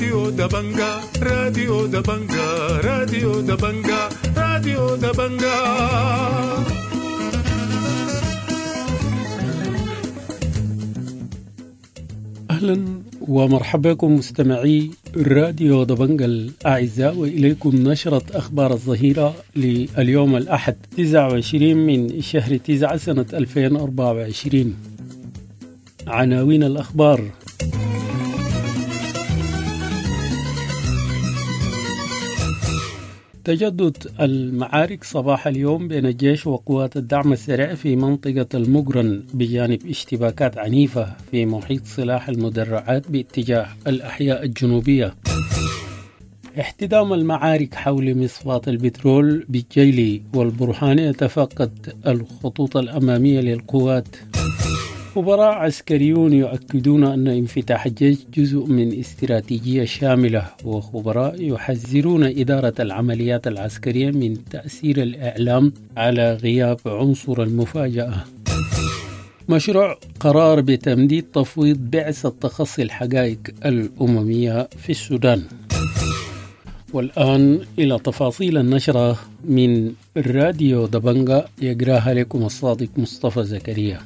راديو دبنجا، راديو دبنجا، راديو دبنجا، راديو دبنجا. أهلا ومرحبا بكم مستمعي راديو دبنجا الأعزاء، وإليكم نشرة أخبار الظهيرة لليوم الأحد 29 من شهر 9 سنة 2024. عناوين الأخبار: تجدد المعارك صباح اليوم بين الجيش وقوات الدعم السريع في منطقة المقرن بجانب اشتباكات عنيفة في محيط سلاح المدرعات باتجاه الأحياء الجنوبية. احتدام المعارك حول مصفاة البترول بالجيلي، والبرهان يتفقد الخطوط الأمامية للقوات. خبراء عسكريون يؤكدون أن انفتاح الجيش جزء من استراتيجية شاملة، وخبراء يحذرون إدارة العمليات العسكرية من تأثير الإعلام على غياب عنصر المفاجأة. مشروع قرار بتمديد تفويض بعثة تخصي الحقائق الأممية في السودان. والآن إلى تفاصيل النشرة من راديو دبنجا، يقراها لكم الصادق مصطفى زكريا.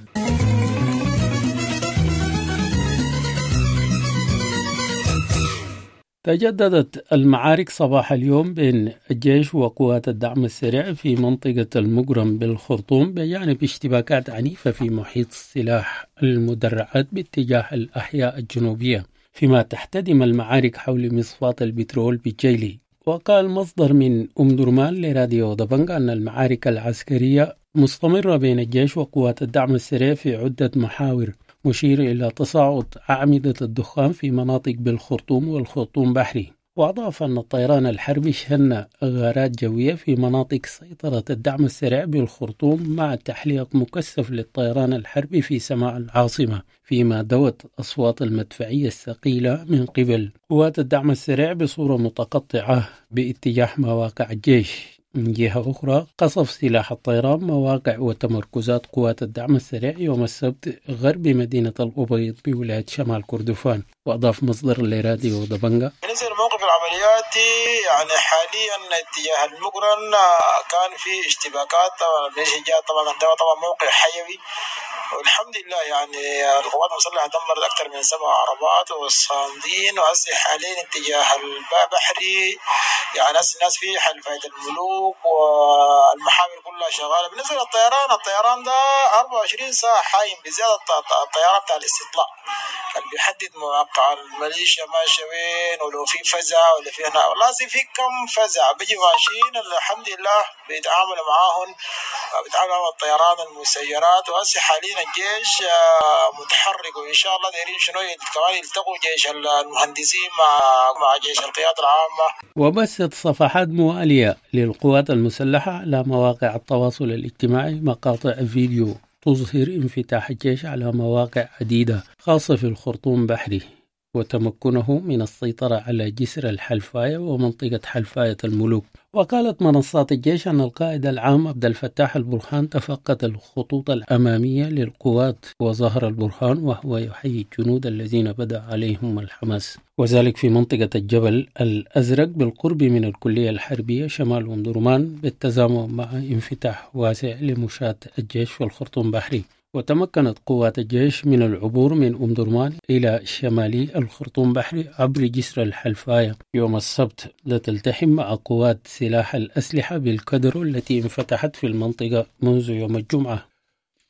تجددت المعارك صباح اليوم بين الجيش وقوات الدعم السريع في منطقة المقرن بالخرطوم بجانب اشتباكات عنيفة في محيط سلاح المدرعات باتجاه الأحياء الجنوبية، فيما تحتدم المعارك حول مصفاة البترول بالجيلي. وقال مصدر من أم درمان لراديو دبنجا أن المعارك العسكرية مستمرة بين الجيش وقوات الدعم السريع في عدة محاور، مشير إلى تصاعد أعمدة الدخان في مناطق بالخرطوم والخرطوم بحري. وأضاف أن الطيران الحربي شن غارات جوية في مناطق سيطرة الدعم السريع بالخرطوم مع تحليق مكثف للطيران الحربي في سماء العاصمة، فيما دوت أصوات المدفعية الثقيلة من قبل قوات الدعم السريع بصورة متقطعة باتجاه مواقع الجيش. من جهة أخرى، قصف سلاح الطيران مواقع وتمركزات قوات الدعم السريع يوم السبت غرب مدينة الأبيض بولاية شمال كردفان. وأضاف مصدر لراديو دبنجا: بالنسبة للموقف العملياتي يعني حاليا اتجاه المقرن كان في اشتباكات، طبعا موقع حيوي، والحمد لله يعني القوات المسلحة دمرت أكثر من 7 عربات والصامدين. وهسه حاليا اتجاه البحري يعني هسه الناس في حلفاية الملوك والمحاور كلها شغالة. بالنسبة للطيران، الطيران ده 24 ساعة حايم، بزيادة الطيران بتاع الاستطلاع اللي بيحدد مواقع الميليشيا ماشية وين، ولو في فزع ولا في هنا، والله في كم فزع بيجي ماشيين الحمد لله بيتعاملوا معاهم، بيتعاملوا مع الطيران المسيرات. وهسه حاليا الجيش متحرك، وان شاء الله دايرين شنو كمان يلتقوا جيش المهندسين مع جيش القيادة العامة. وبثت صفحات موالية للقوات المسلحة على مواقع التواصل الاجتماعي مقاطع فيديو تظهر انفتاح الجيش على مواقع عديدة خاصة في الخرطوم بحري، وتمكنه من السيطرة على جسر الحلفاية ومنطقة حلفاية الملوك. وقالت منصات الجيش أن القائد العام عبد الفتاح البرهان تفقد الخطوط الأمامية للقوات، وظهر البرهان وهو يحيي الجنود الذين بدأ عليهم الحماس، وذلك في منطقة الجبل الأزرق بالقرب من الكلية الحربية شمال أم درمان، بالتزامن مع انفتاح واسع لمشاة الجيش في الخرطوم بحري. وتمكنت قوات الجيش من العبور من أم درمان إلى شمالي الخرطوم بحري عبر جسر الحلفاية يوم السبت، لتلتحم مع قوات سلاح الأسلحة بالكدر التي انفتحت في المنطقة منذ يوم الجمعة.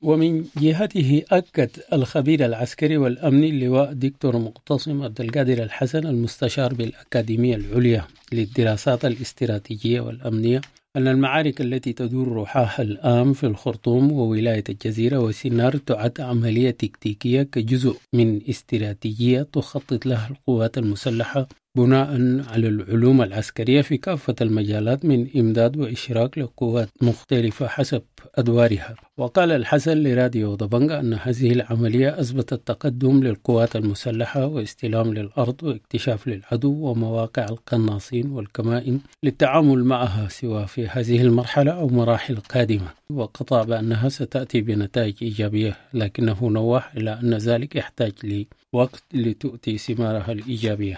ومن جهته أكد الخبير العسكري والأمني اللواء دكتور مقتصم عبد القادر الحسن المستشار بالأكاديمية العليا للدراسات الاستراتيجية والأمنية أن المعارك التي تدور روحها الآن في الخرطوم وولاية الجزيرة وسنار تعد عملية تكتيكية كجزء من استراتيجية تخطط لها القوات المسلحة بناء على العلوم العسكرية في كافة المجالات من إمداد وإشراك لقوات مختلفة حسب أدوارها. وقال الحسن لراديو دبنجا أن هذه العملية أثبتت تقدم للقوات المسلحة واستلام للأرض واكتشاف للعدو ومواقع القناصين والكمائن للتعامل معها سواء في هذه المرحلة أو مراحل قادمة، وقطع بأنها ستأتي بنتائج إيجابية، لكنه نوه إلى أن ذلك يحتاج لوقت لتؤتي ثمارها الإيجابية.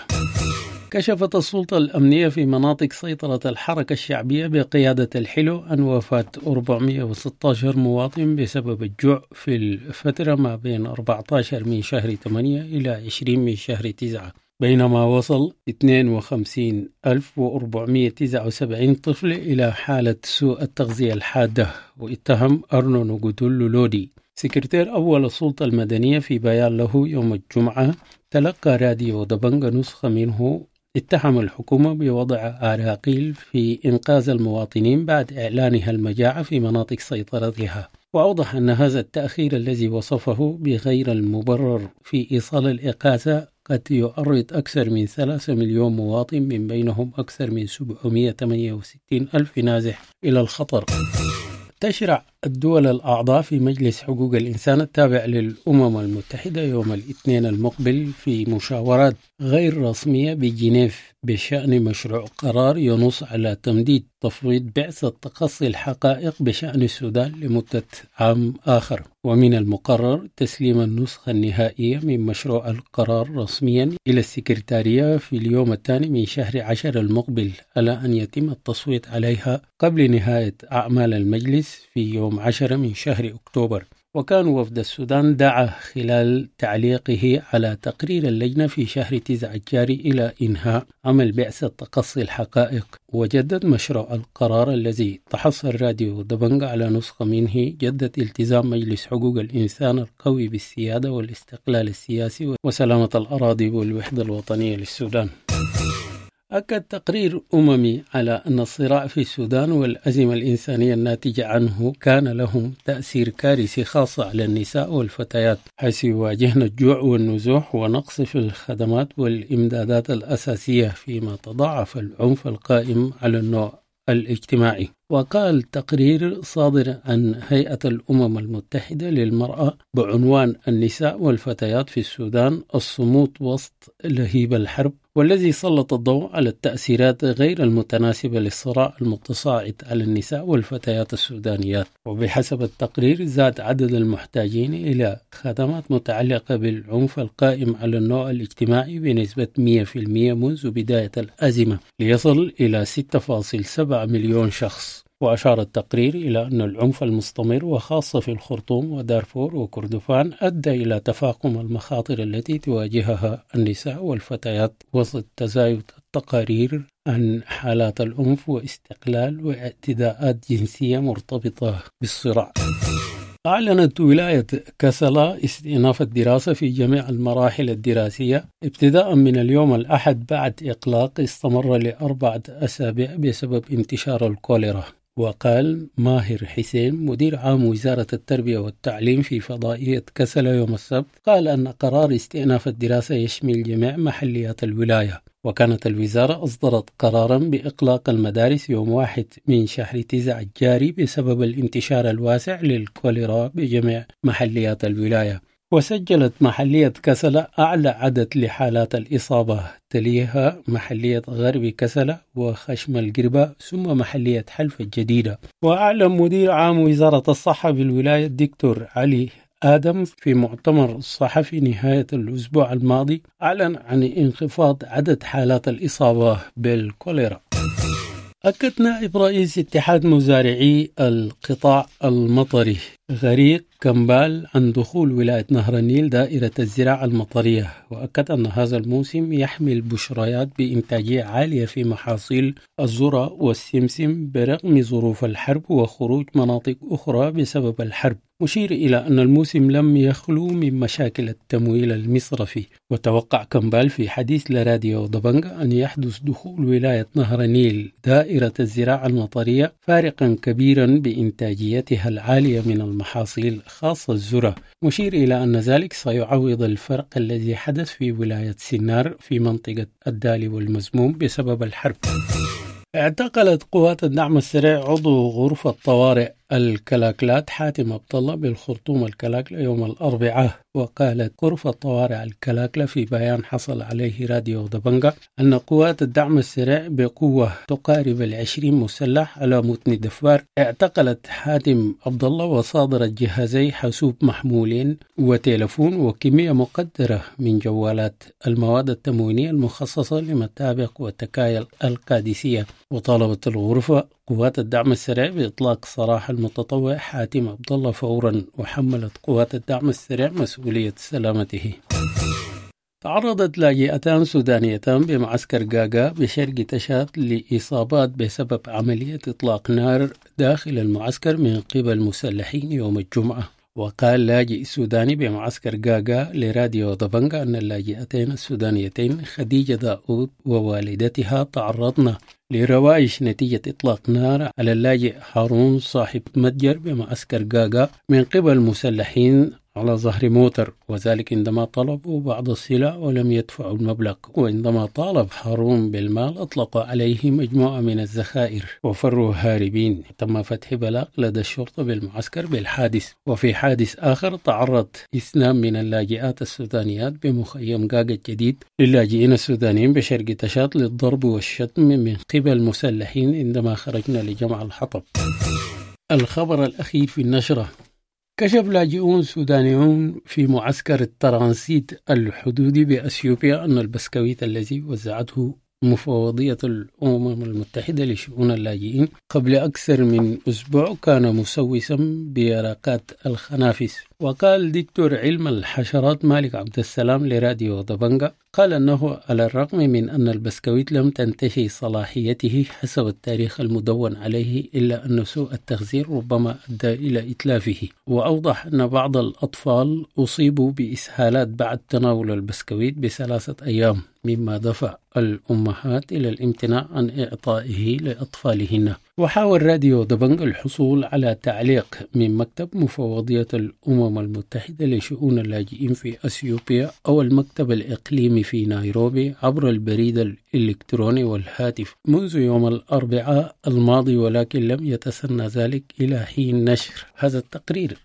كشفت السلطة الأمنية في مناطق سيطرة الحركة الشعبية بقيادة الحلو عن وفاة 416 مواطن بسبب الجوع في الفترة ما بين 14 من شهر 8 إلى 20 من شهر 9، بينما وصل 52479 طفل إلى حالة سوء التغذية الحادة. واتهم أرنو نوغوتولو لودي سكرتير أول السلطة المدنية في بيان له يوم الجمعة تلقى راديو دبنجة نسخة منه، اتهم الحكومة بوضع عراقيل في إنقاذ المواطنين بعد إعلانها المجاعة في مناطق سيطرتها. وأوضح أن هذا التأخير الذي وصفه بغير المبرر في إيصال الإغاثة قد يعرض أكثر من 3 مليون مواطن من بينهم أكثر من 768 ألف نازح إلى الخطر. تشرع الدول الأعضاء في مجلس حقوق الإنسان التابع للأمم المتحدة يوم الاثنين المقبل في مشاورات غير رسمية بجنيف بشأن مشروع قرار ينص على تمديد تفويض بعثة تقصي الحقائق بشأن السودان لمدة عام آخر. ومن المقرر تسليم النسخة النهائية من مشروع القرار رسميا إلى السكرتارية في اليوم الثاني من شهر 10 المقبل، على أن يتم التصويت عليها قبل نهاية أعمال المجلس في يوم 10 من شهر أكتوبر. وكان وفد السودان دعا خلال تعليقه على تقرير اللجنة في شهر 9 الجاري إلى إنهاء عمل بعثة تقصي الحقائق. وجدد مشروع القرار الذي تحصل راديو دبنجة على نسخة منه جدد التزام مجلس حقوق الإنسان القوي بالسيادة والاستقلال السياسي وسلامة الأراضي والوحدة الوطنية للسودان. أكد تقرير أممي على أن الصراع في السودان والأزمة الإنسانية الناتجة عنه كان لهم تأثير كارثي خاصة على النساء والفتيات، حيث يواجهن الجوع والنزوح ونقص في الخدمات والإمدادات الأساسية، فيما تضاعف العنف القائم على النوع الاجتماعي. وقال تقرير صادر عن هيئة الأمم المتحدة للمرأة بعنوان النساء والفتيات في السودان الصمود وسط لهيب الحرب، والذي سلط الضوء على التأثيرات غير المتناسبة للصراع المتصاعد على النساء والفتيات السودانيات. وبحسب التقرير زاد عدد المحتاجين إلى خدمات متعلقة بالعنف القائم على النوع الاجتماعي بنسبة 100% منذ بداية الأزمة ليصل إلى 6.7 مليون شخص. وأشار التقرير إلى أن العنف المستمر وخاصة في الخرطوم ودارفور وكردفان أدى إلى تفاقم المخاطر التي تواجهها النساء والفتيات وسط تزايد التقارير عن حالات العنف واستقلال واعتداءات جنسية مرتبطة بالصراع. أعلنت ولاية كسلا استئناف الدراسة في جميع المراحل الدراسية ابتداء من اليوم الأحد بعد إغلاق استمر ل4 أسابيع بسبب انتشار الكوليرا. وقال ماهر حسين مدير عام وزارة التربية والتعليم في فضائية كسلا يوم السبت، قال أن قرار استئناف الدراسة يشمل جميع محليات الولاية. وكانت الوزارة أصدرت قرارا بإغلاق المدارس يوم 1 من شهر 9 الجاري بسبب الانتشار الواسع للكوليرا بجميع محليات الولاية. وسجلت محلية كسلا أعلى عدد لحالات الإصابة، تليها محلية غرب كسلا وخشم القربة ثم محلية حلفة الجديدة. وأعلن مدير عام وزارة الصحة بالولاية الدكتور علي آدم في مؤتمر صحفي نهاية الأسبوع الماضي أعلن عن انخفاض عدد حالات الإصابة بالكوليرا. أكد نائب رئيس اتحاد مزارعي القطاع المطري غريق كمبال عن دخول ولاية نهر النيل دائرة الزراعة المطرية، وأكد أن هذا الموسم يحمل بشريات بإنتاجية عالية في محاصيل الذرة والسمسم برغم ظروف الحرب وخروج مناطق أخرى بسبب الحرب، مشير إلى أن الموسم لم يخلو من مشاكل التمويل المصرفي. وتوقع كمبال في حديث لراديو دبنجة أن يحدث دخول ولاية نهر النيل دائرة الزراعة المطرية فارقا كبيرا بإنتاجيتها العالية من المحاصيل خاصة الذرة، مشير إلى أن ذلك سيعوض الفرق الذي حدث في ولاية سنار في منطقة الدالي والمزموم بسبب الحرب. اعتقلت قوات الدعم السريع عضو غرفة طوارئ الكلاكلات حاتم عبد الله بالخرطوم الكلاكلة يوم الأربعاء. وقالت غرفة طوارئ الكلاكلة في بيان حصل عليه راديو دبنجة أن قوات الدعم السريع بقوة تقارب 20 مسلح على متن دفار اعتقلت حاتم عبد الله وصادرت جهازي حاسوب محمولين وتلفون وكمية مقدرة من جوالات المواد التموينية المخصصة لمتابق وتكايل القادسية. وطالبت الغرفة قوات الدعم السريع بإطلاق سراح المتطوع حاتم عبد الله فورا، وحملت قوات الدعم السريع مسؤولية سلامته. تعرضت لاجئتان سودانيتان بمعسكر غاغا بشرق تشاد لإصابات بسبب عملية إطلاق نار داخل المعسكر من قبل مسلحين يوم الجمعة. وقال لاجئ سوداني بمعسكر غاغا لراديو دبنجا أن اللاجئتين السودانيتين خديجة داود ووالدتها تعرضن لروايش نتيجة إطلاق نار على اللاجئ هارون صاحب متجر بمعسكر غاغا من قبل مسلحين على ظهر موتر، وذلك عندما طلبوا بعض السلع ولم يدفعوا المبلغ. وعندما طالب هارون بالمال أطلقوا عليه مجموعة من الذخائر وفروا هاربين. تم فتح بلاغ لدى الشرطة بالمعسكر بالحادث. وفي حادث آخر تعرض اثنان من اللاجئات السودانيات بمخيم غاغا الجديد للاجئين السودانيين بشرق تشاد للضرب والشتم من قبل مسلحين عندما خرجنا لجمع الحطب. الخبر الأخير في النشرة: كشف لاجئون سودانيون في معسكر الترانسيت الحدودي بأثيوبيا أن البسكويت الذي وزعته مفوضية الأمم المتحدة لشؤون اللاجئين قبل أكثر من أسبوع كان مسوسا بيرقات الخنافس. وقال دكتور علم الحشرات مالك عبد السلام لراديو دبنجا، قال أنه على الرغم من أن البسكويت لم تنتهي صلاحيته حسب التاريخ المدون عليه، إلا أن سوء التخزين ربما أدى إلى إتلافه. وأوضح أن بعض الأطفال أصيبوا بإسهالات بعد تناول البسكويت ب3 أيام، مما دفع الأمهات إلى الامتناع عن إعطائه لأطفالهن. وحاول راديو دبنج الحصول على تعليق من مكتب مفوضية الأمم المتحدة لشؤون اللاجئين في أثيوبيا أو المكتب الإقليمي في نيروبي عبر البريد الإلكتروني والهاتف منذ يوم الأربعاء الماضي، ولكن لم يتسنى ذلك إلى حين نشر هذا التقرير.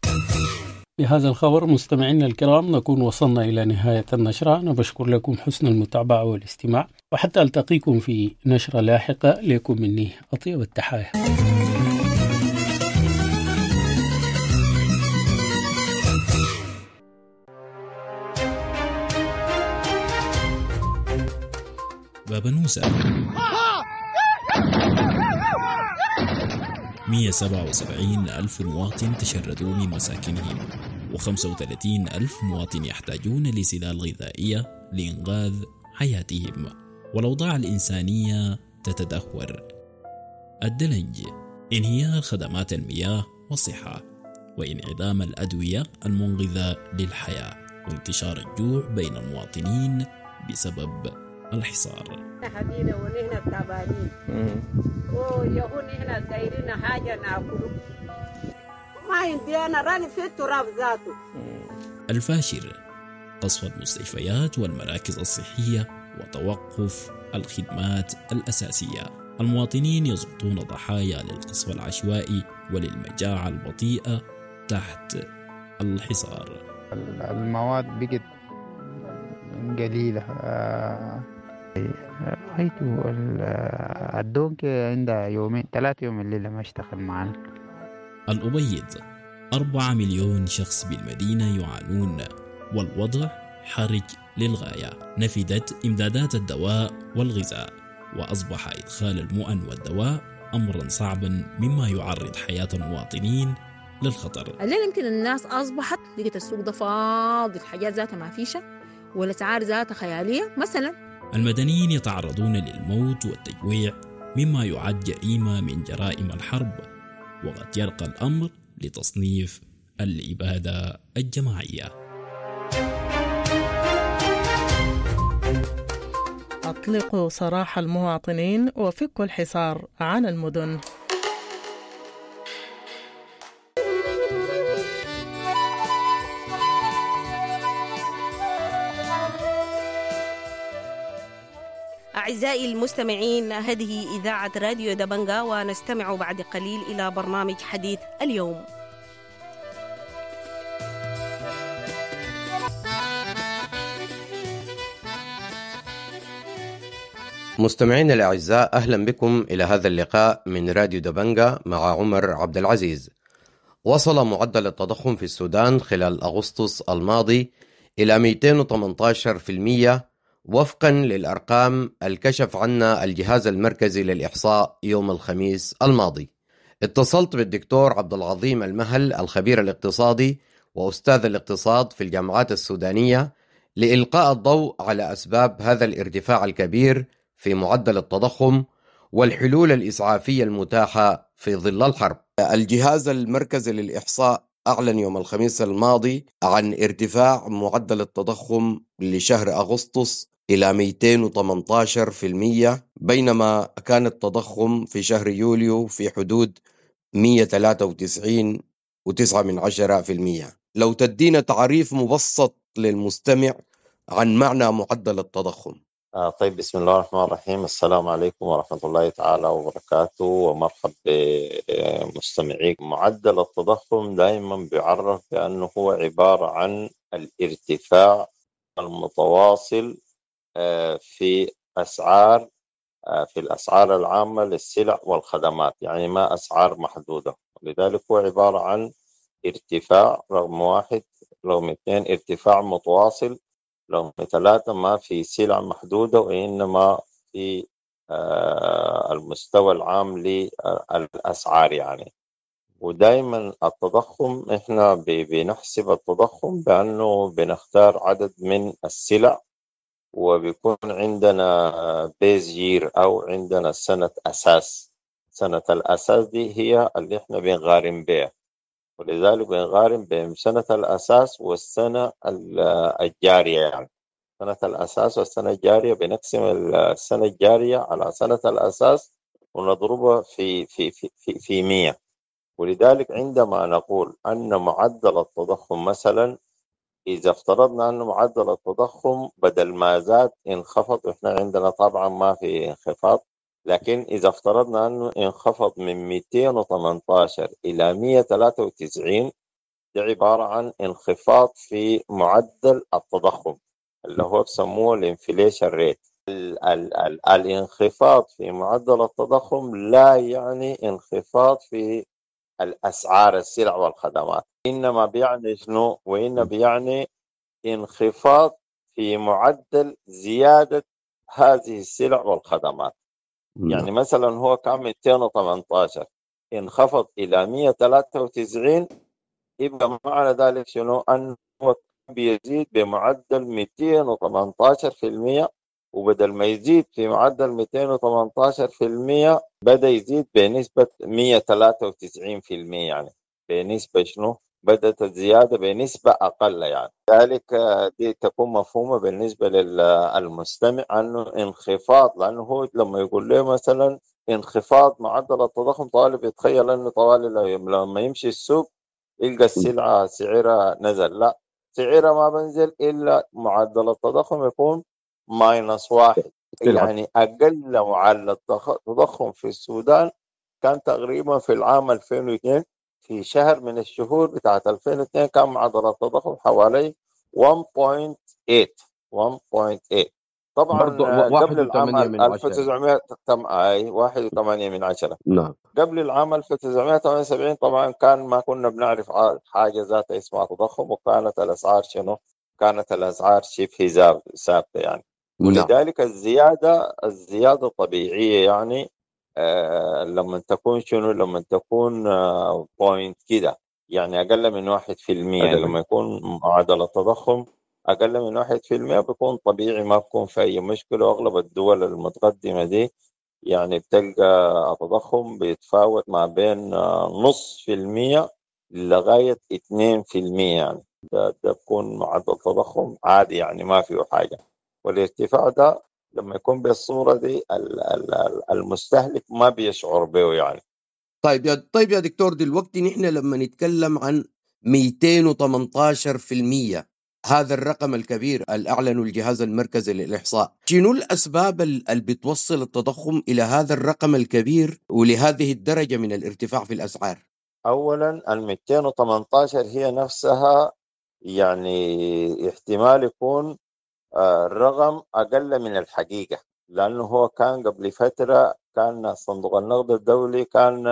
بهذا الخبر مستمعينا الكرام نكون وصلنا إلى نهاية النشرة. أنا بشكر لكم حسن المتابعة والاستماع، وحتى ألتقيكم في نشرة لاحقة. لكم مني أطيب التحايا. بابنوسة 177 ألف مواطن تشردوا من مساكنهم، و35 ألف مواطن يحتاجون لسلال غذائية لإنقاذ حياتهم، والأوضاع الإنسانية تتدهور. الدلنج، انهيار خدمات المياه والصحة، وانعدام الأدوية المنقذة للحياة، وانتشار الجوع بين المواطنين بسبب الحصار. حبينا ونحن تعبانين ويهون احنا دايرين حاجة ناكله، ما عندي أنا راني في التراب ذاته. الفاشر، قصف المستشفيات والمراكز الصحية وتوقف الخدمات الأساسية. المواطنين يسقطون ضحايا للقصف العشوائي وللمجاعة البطيئة تحت الحصار. المواد بقت قليلة، رأيته الدونك عندها 2 3 يوم الليلة ما اشتغل معنا. الأبيض، 4 مليون شخص بالمدينة يعانون، والوضع حرج للغاية. نفدت إمدادات الدواء والغذاء، وأصبح إدخال المؤن والدواء أمرا صعبا، مما يعرض حياة المواطنين للخطر. الليلة يمكن الناس أصبحت لقيت السوق ده فاضي، الحاجات ذاتها ما فيشة والأسعار ذاتها خيالية مثلا. المدنيين يتعرضون للموت والتجويع، مما يعد جريمة من جرائم الحرب، وقد يرقى الأمر لتصنيف الإبادة الجماعية. أطلقوا سراح المواطنين وفكوا الحصار عن المدن. أعزائي المستمعين، هذه إذاعة راديو دبنجا، ونستمع بعد قليل إلى برنامج حديث اليوم. مستمعينا الأعزاء، أهلا بكم إلى هذا اللقاء من راديو دبنجا مع عمر عبد العزيز. وصل معدل التضخم في السودان خلال أغسطس الماضي إلى 218% وفقا للأرقام الكشف عنا الجهاز المركزي للإحصاء يوم الخميس الماضي. اتصلت بالدكتور عبد العظيم المهل الخبير الاقتصادي وأستاذ الاقتصاد في الجامعات السودانية لإلقاء الضوء على أسباب هذا الارتفاع الكبير في معدل التضخم والحلول الإسعافية المتاحة في ظل الحرب. الجهاز المركزي للإحصاء أعلن يوم الخميس الماضي عن ارتفاع معدل التضخم لشهر أغسطس إلى 218%، بينما كان التضخم في شهر يوليو في حدود 193.9%. لو تدينا تعريف مبسط للمستمع عن معنى معدل التضخم. طيب، بسم الله الرحمن الرحيم. السلام عليكم ورحمة الله تعالى وبركاته، ومرحب بمستمعيك. معدل التضخم دائما بيعرف بأنه هو عبارة عن الارتفاع المتواصل في أسعار في الأسعار العامة للسلع والخدمات، يعني ما أسعار محدودة. لذلك هو عبارة عن ارتفاع رقم واحد، رقم اثنين ارتفاع متواصل، رقم ثلاثة ما في سلع محدودة، وإنما في المستوى العام للأسعار يعني. ودائما التضخم إحنا بنحسب التضخم بأنه بنختار عدد من السلع، وبيكون عندنا base year أو عندنا سنة أساس. سنة الأساس دي هي اللي إحنا بنقارن بها، ولذلك بنقارن بين سنة الأساس والسنة الجارية. يعني سنة الأساس والسنة الجارية بنقسم السنة الجارية على سنة الأساس ونضربها في في في في, في 100. ولذلك عندما نقول أن معدل التضخم مثلا، إذا افترضنا أن معدل التضخم بدل ما زاد انخفض، إحنا عندنا طبعا ما في انخفاض، لكن إذا افترضنا أنه انخفض من 218 إلى 193، دي عبارة عن انخفاض في معدل التضخم اللي هو بسموه ال inflation rate. الانخفاض في معدل التضخم لا يعني انخفاض في الأسعار السلع والخدمات، إنما بيعني شنو؟ وإنما بيعني انخفاض في معدل زيادة هذه السلع والخدمات. يعني مثلا هو كان 218 انخفض إلى 193، يبقى معنى ذلك شنو؟ أنه بيزيد بمعدل 218%، وبدل ما يزيد في معدل 218% بدأ يزيد بنسبة 193%، يعني بنسبة شنو؟ بدأت الزيادة بنسبة أقل. يعني ذلك دي تكون مفهومة بالنسبة للمستمع أنه انخفاض، لأنه هو لما يقول له مثلا انخفاض معدل التضخم طالب يتخيل أنه طوال لما يمشي السوق يلقى السلعة سعرها نزل. لا، سعرها ما بنزل إلا معدل التضخم يكون -1، يعني أقل معدل التضخم في السودان كان تقريبا في العام 2002، في شهر من الشهور بتاعت 2002 كان معدل التضخم حوالي 1.8 1.8. طبعا قبل العام 1900 1.8. نعم، قبل العام 1978 طبعا كان ما كنا بنعرف حاجة ذات اسمها تضخم، وكانت الأسعار شنو؟ كانت الأسعار شبه ثابتة يعني. ولذلك الزيادة طبيعية يعني، لما تكون شنو؟ لما تكون point كده، يعني أقل من 1%. لما يكون معدل التضخم أقل من 1% بيكون طبيعي، ما بيكون في أي مشكلة. وأغلب الدول المتقدمة دي يعني بتلقى التضخم بيتفاوت ما بين 0.5% لغاية 2%، يعني ده بيكون معدل تضخم عادي، يعني ما فيه حاجة. والارتفاع ده لما يكون بالصورة دي المستهلك ما بيشعر به يعني. طيب يا دكتور، دلوقتي نحن لما نتكلم عن 218% هذا الرقم الكبير اللي أعلنه الجهاز المركزي للإحصاء، شنو الأسباب اللي بتوصل التضخم إلى هذا الرقم الكبير ولهذه الدرجة من الارتفاع في الأسعار؟ أولا ال 218 هي نفسها يعني احتمال يكون الرقم أقل من الحقيقة، لأنه هو كان قبل فترة كان صندوق النقد الدولي كان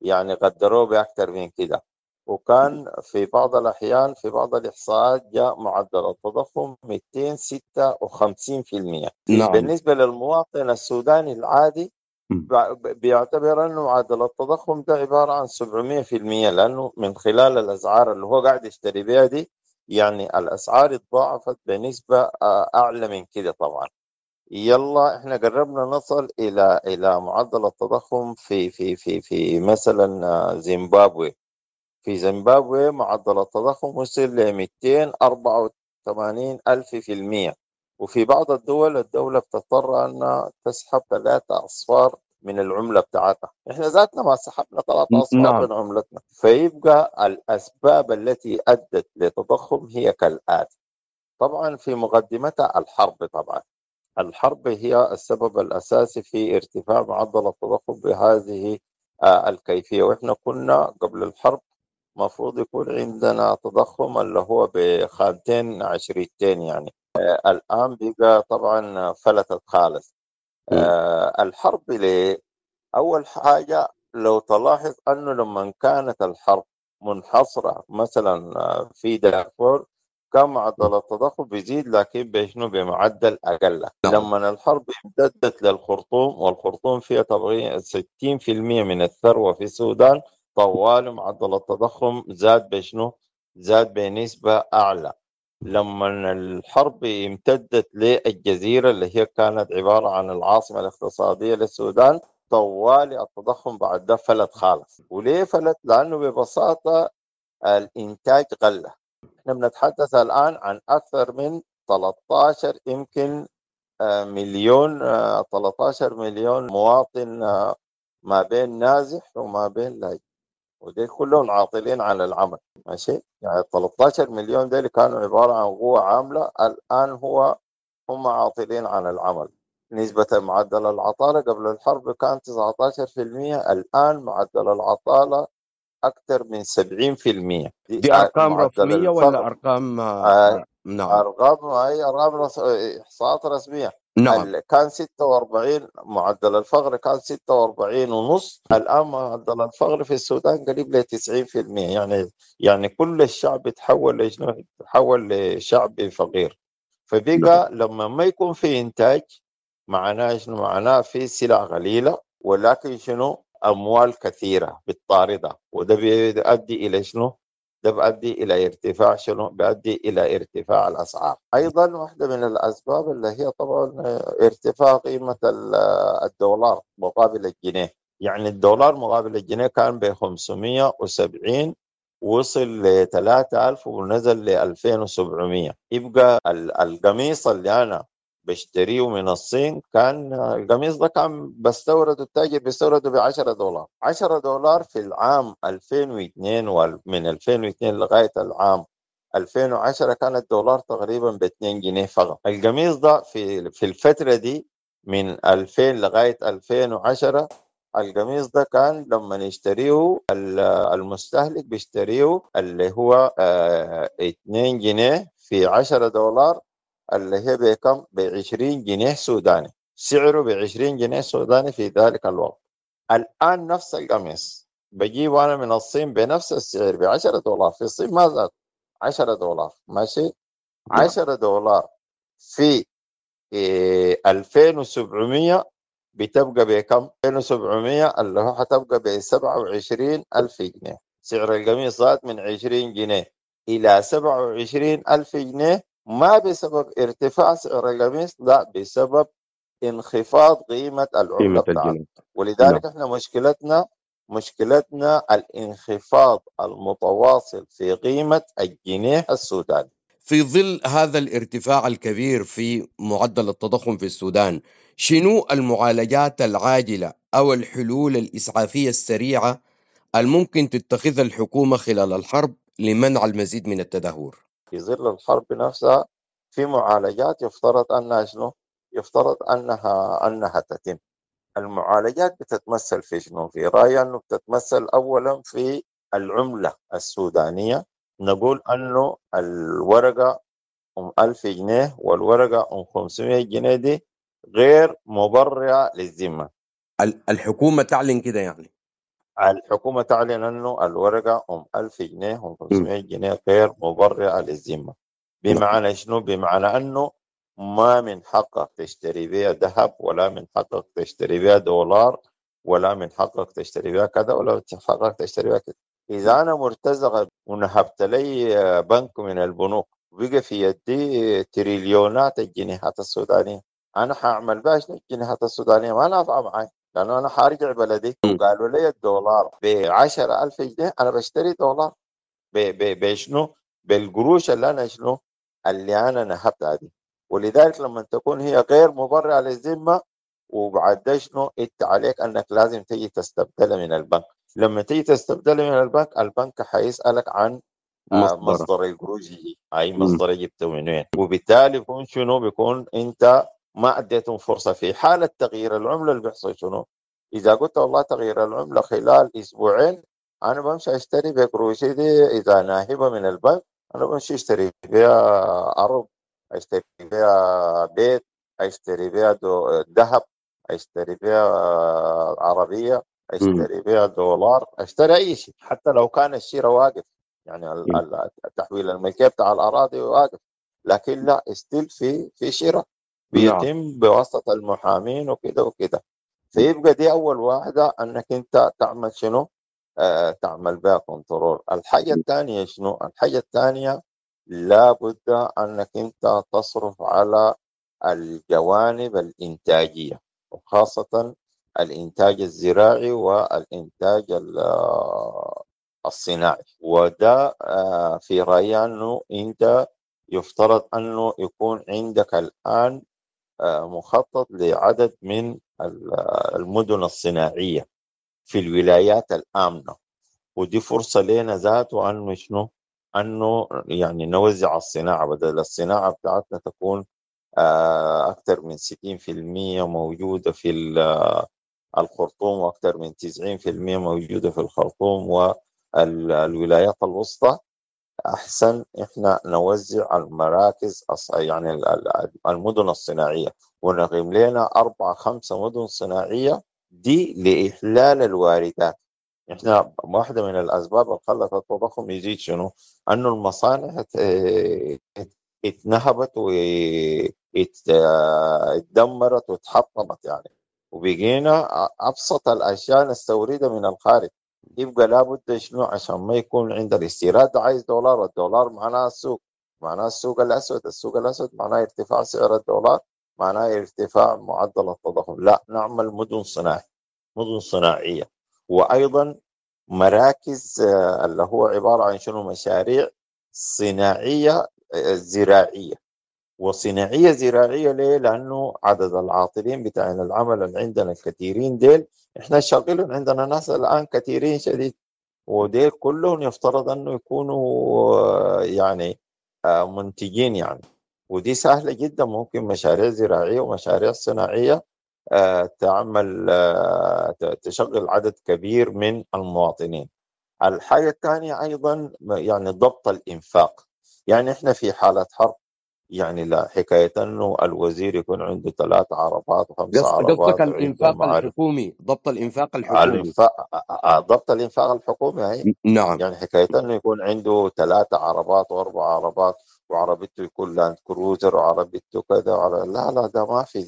يعني قدروه بأكثر من كده، وكان في بعض الأحيان في بعض الإحصاءات جاء معدل التضخم 256%. نعم. بالنسبة للمواطن السوداني العادي بيعتبر أنه معدل التضخم ده عبارة عن 700%، لأنه من خلال الأسعار اللي هو قاعد يشتري بها دي يعني الأسعار اتضاعفت بنسبة أعلى من كده طبعا. يلا احنا قربنا نصل الى معدل التضخم في في في في مثلا زيمبابوي. في زيمبابوي معدل التضخم وصل ل 284,000%، وفي بعض الدول الدولة بتضطر أن تسحب 3 أصفار من العملة بتاعتها. احنا ذاتنا ما سحبنا 3 أصفار نعم. من عملتنا. فيبقى الأسباب التي أدت لتضخم هي كالآتي. طبعا في مقدمتها الحرب، طبعا الحرب هي السبب الأساسي في ارتفاع معدل التضخم بهذه الكيفية. وإحنا كنا قبل الحرب مفروض يكون عندنا تضخم اللي هو بخانتين عشريتين يعني، الآن بقى طبعا فلتت خالص. الحرب ليه؟ أول حاجة لو تلاحظ أنه لما كانت الحرب منحصرة مثلا في دارفور كان معدل التضخم بيزيد، لكن بشنو؟ بمعدل أقل. لما الحرب امتدت للخرطوم، والخرطوم فيها تقريبا 60% من الثروة في السودان، طوال معدل التضخم زاد بشنو؟ زاد بنسبة أعلى. لما الحرب امتدت للجزيرة اللي هي كانت عبارة عن العاصمة الاقتصادية للسودان، طوال التضخم بعد ده فلت خالص. وليه فلت؟ لأنه ببساطة الإنتاج قل. احنا بنتحدث الآن عن أكثر من 13 يمكن مليون، 13 مليون مواطن ما بين نازح وما بين لاجئ، ودي كلهم عاطلين عن العمل. ماشي، يعني 13 مليون دول كانوا عبارة عن قوة عاملة، الآن هم عاطلين عن العمل. نسبة معدل العطالة قبل الحرب كان 19%، الآن معدل العطالة أكثر من 70%. دي أرقام رسمية ولا أرقام؟ نعم، أرقام، هي أرقام إحصاءات رسمية. نعم. كان 46 معدل الفقر، كان 46.5، الآن معدل الفقر في السودان قريب ل 90%. يعني كل الشعب تحول لشنو؟ تحول لشعب فقير. فبقى لما ما يكون في إنتاج معناه شنو؟ معناه في سلع قليلة ولكن شنو؟ أموال كثيرة بالطاردة، وده بيؤدي إلى شنو؟ ده بيؤدي إلى ارتفاع شنو؟ بيؤدي إلى ارتفاع الأسعار. أيضا واحدة من الأسباب اللي هي طبعا ارتفاع قيمة الدولار مقابل الجنيه. يعني الدولار مقابل الجنيه كان ب 570، وصل ل 3000 ونزل ل 2700. يبقى القميص اللي أنا بشتريه من الصين، كان القميص ده كان بستورده، التاجر بيستورده ب $10، $10 في العام 2002، ومن 2002 لغاية العام 2010 كان الدولار تقريبا ب 2 جنيه فقط. القميص ده في الفترة دي من 2000 لغاية 2010، القميص ده كان لما يشتريه المستهلك بيشتريه اللي هو 2 جنيه في $10، اللي هي بكم؟ ب 20 جنيه سوداني. سعره ب 20 جنيه سوداني في ذلك الوقت. الآن نفس القميص بجيبه أنا من الصين بنفس السعر ب $10، في الصين ما زاد $10. ماشي، $10 في 2700 بتبقى بكم؟ 2700 اللي هو حتبقى ب 27,000 جنيه. سعر القميص زاد من 20 جنيه إلى 27,000 جنيه، ما بسبب ارتفاع سعر القميص، لا، بسبب انخفاض قيمة العملة بتاعتنا. ولذلك احنا مشكلتنا الانخفاض المتواصل في قيمة الجنيه السوداني. في ظل هذا الارتفاع الكبير في معدل التضخم في السودان، شنو المعالجات العاجلة أو الحلول الإسعافية السريعة الممكن تتخذها الحكومة خلال الحرب لمنع المزيد من التدهور؟ في ظل الحرب نفسها في معالجات يفترض أنها شنو؟ يفترض أنها تتم. المعالجات بتتمثل في شنو؟ في رأيي أنه بتتمثل أولا في العملة السودانية. نقول أنه الورقة 1000 جنيه والورقة 500 جنيه دي غير مبرئة للذمة. الحكومة تعلن كده يعني؟ الحكومة تعلن أنه الورقة 1000 جنيه و500 جنيه غير مبرئة للذمة. بمعنى شنو؟ بمعنى أنه ما من حقك تشتري بيها ذهب، ولا من حقك تشتري بيها دولار، ولا من حقك تشتري بيها كذا، ولا من حقك تشتري بيها كذا. إذا أنا مرتزقة ونهبت لي بنك من البنوك وبقى في يدي تريليونات الجنيهات السودانية، أنا حأعمل بها شنو الجنيهات السودانية؟ ما نافعة معي، لأنه أنا حارجع بلدي. وقالوا لي الدولار ب10,000 جنيه، أنا بشتري دولار بشنو؟ بالقروش اللي أنا شنو؟ اللي أنا نهبتها دي. ولذلك لما تكون هي غير مبرئة للذمة، وبعد شنو؟ انت عليك انك لازم تيجي تستبدلها من البنك. لما تيجي تستبدلها من البنك، البنك حيسألك عن مصدر القروش دي، اي مصدر جبته من وين، وبالتالي بيكون شنو؟ بيكون انت ما اديتهم فرصة. في حالة تغيير العملة اللي بيحصل شنو؟ اذا قلت والله تغيير العملة خلال اسبوعين، انا بمشي اشتري بقروشي دي اذا ناهبة من البنك، انا بمشي اشتري بها ارض، اشتري بها بيت، اشتري بها ذهب، اشتري بها عربية، اشتري بها دولار، اشتري اي شيء، حتى لو كان الشراء واقف، يعني التحويل الملكية بتاع الاراضي واقف، لكن لا استيل في شراء بيتم بواسطة المحامين وكده وكده. فيبقى دي اول واحدة، انك انت تعمل شنو؟ تعمل بها control. الحاجة الثانية شنو؟ الحاجة الثانية لابد أنك أنت تصرف على الجوانب الإنتاجية، وخاصة الإنتاج الزراعي والإنتاج الصناعي. وده في رأيي أنه أنت يفترض أنه يكون عندك الآن مخطط لعدد من المدن الصناعية في الولايات الآمنة، ودي فرصة لنا ذاته أنه شنو؟ أنه يعني نوزع الصناعة، بدل الصناعة بتاعتنا تكون أكثر من 60% موجودة في الخرطوم، وأكثر من 90% موجودة في الخرطوم والولايات الوسطى. أحسن إحنا نوزع المراكز يعني المدن الصناعية، ونقيم لنا 4-5 مدن صناعية دي لإحلال الواردات. احنا واحدة من الأسباب اللي خلت التضخم يزيد شنو؟ أنه المصانع اتنهبت واتدمرت واتحطمت يعني، وبقينا أبسط الأشياء نستوردها من الخارج. يبقى لابد شنو؟ عشان ما يكون عند الاستيراد عايز دولار، والدولار معناه السوق، معناه السوق الأسود، السوق الأسود معناه ارتفاع سعر الدولار، معناه ارتفاع معدل التضخم. لا، نعمل مدن صناعية، مدن صناعية، وأيضا مراكز اللي هو عبارة عن شنو؟ مشاريع صناعية زراعية وصناعية زراعية. ليه؟ لأنه عدد العاطلين بتاعين العمل اللي عندنا الكثيرين ديل، إحنا شغالين عندنا ناس الآن كثيرين شديد، وديل كلهم يفترض أنه يكونوا يعني منتجين يعني. ودي سهلة جدا، ممكن مشاريع زراعية ومشاريع صناعية تعمل تشغل عدد كبير من المواطنين. الحاجة الثانية أيضا يعني ضبط الإنفاق. يعني إحنا في حالة حرب، يعني لا حكاية أنه الوزير يكون عنده 3 عربات و5 عربات. قصدك الإنفاق الحكومي، ضبط الإنفاق الحكومي. ضبط الإنفاق الحكومي هي. نعم. يعني حكاية أنه يكون عنده 3 عربات و4 عربات، وعربيته يكون لاند كروزر وعربيته كذا لا لا، ده ما في.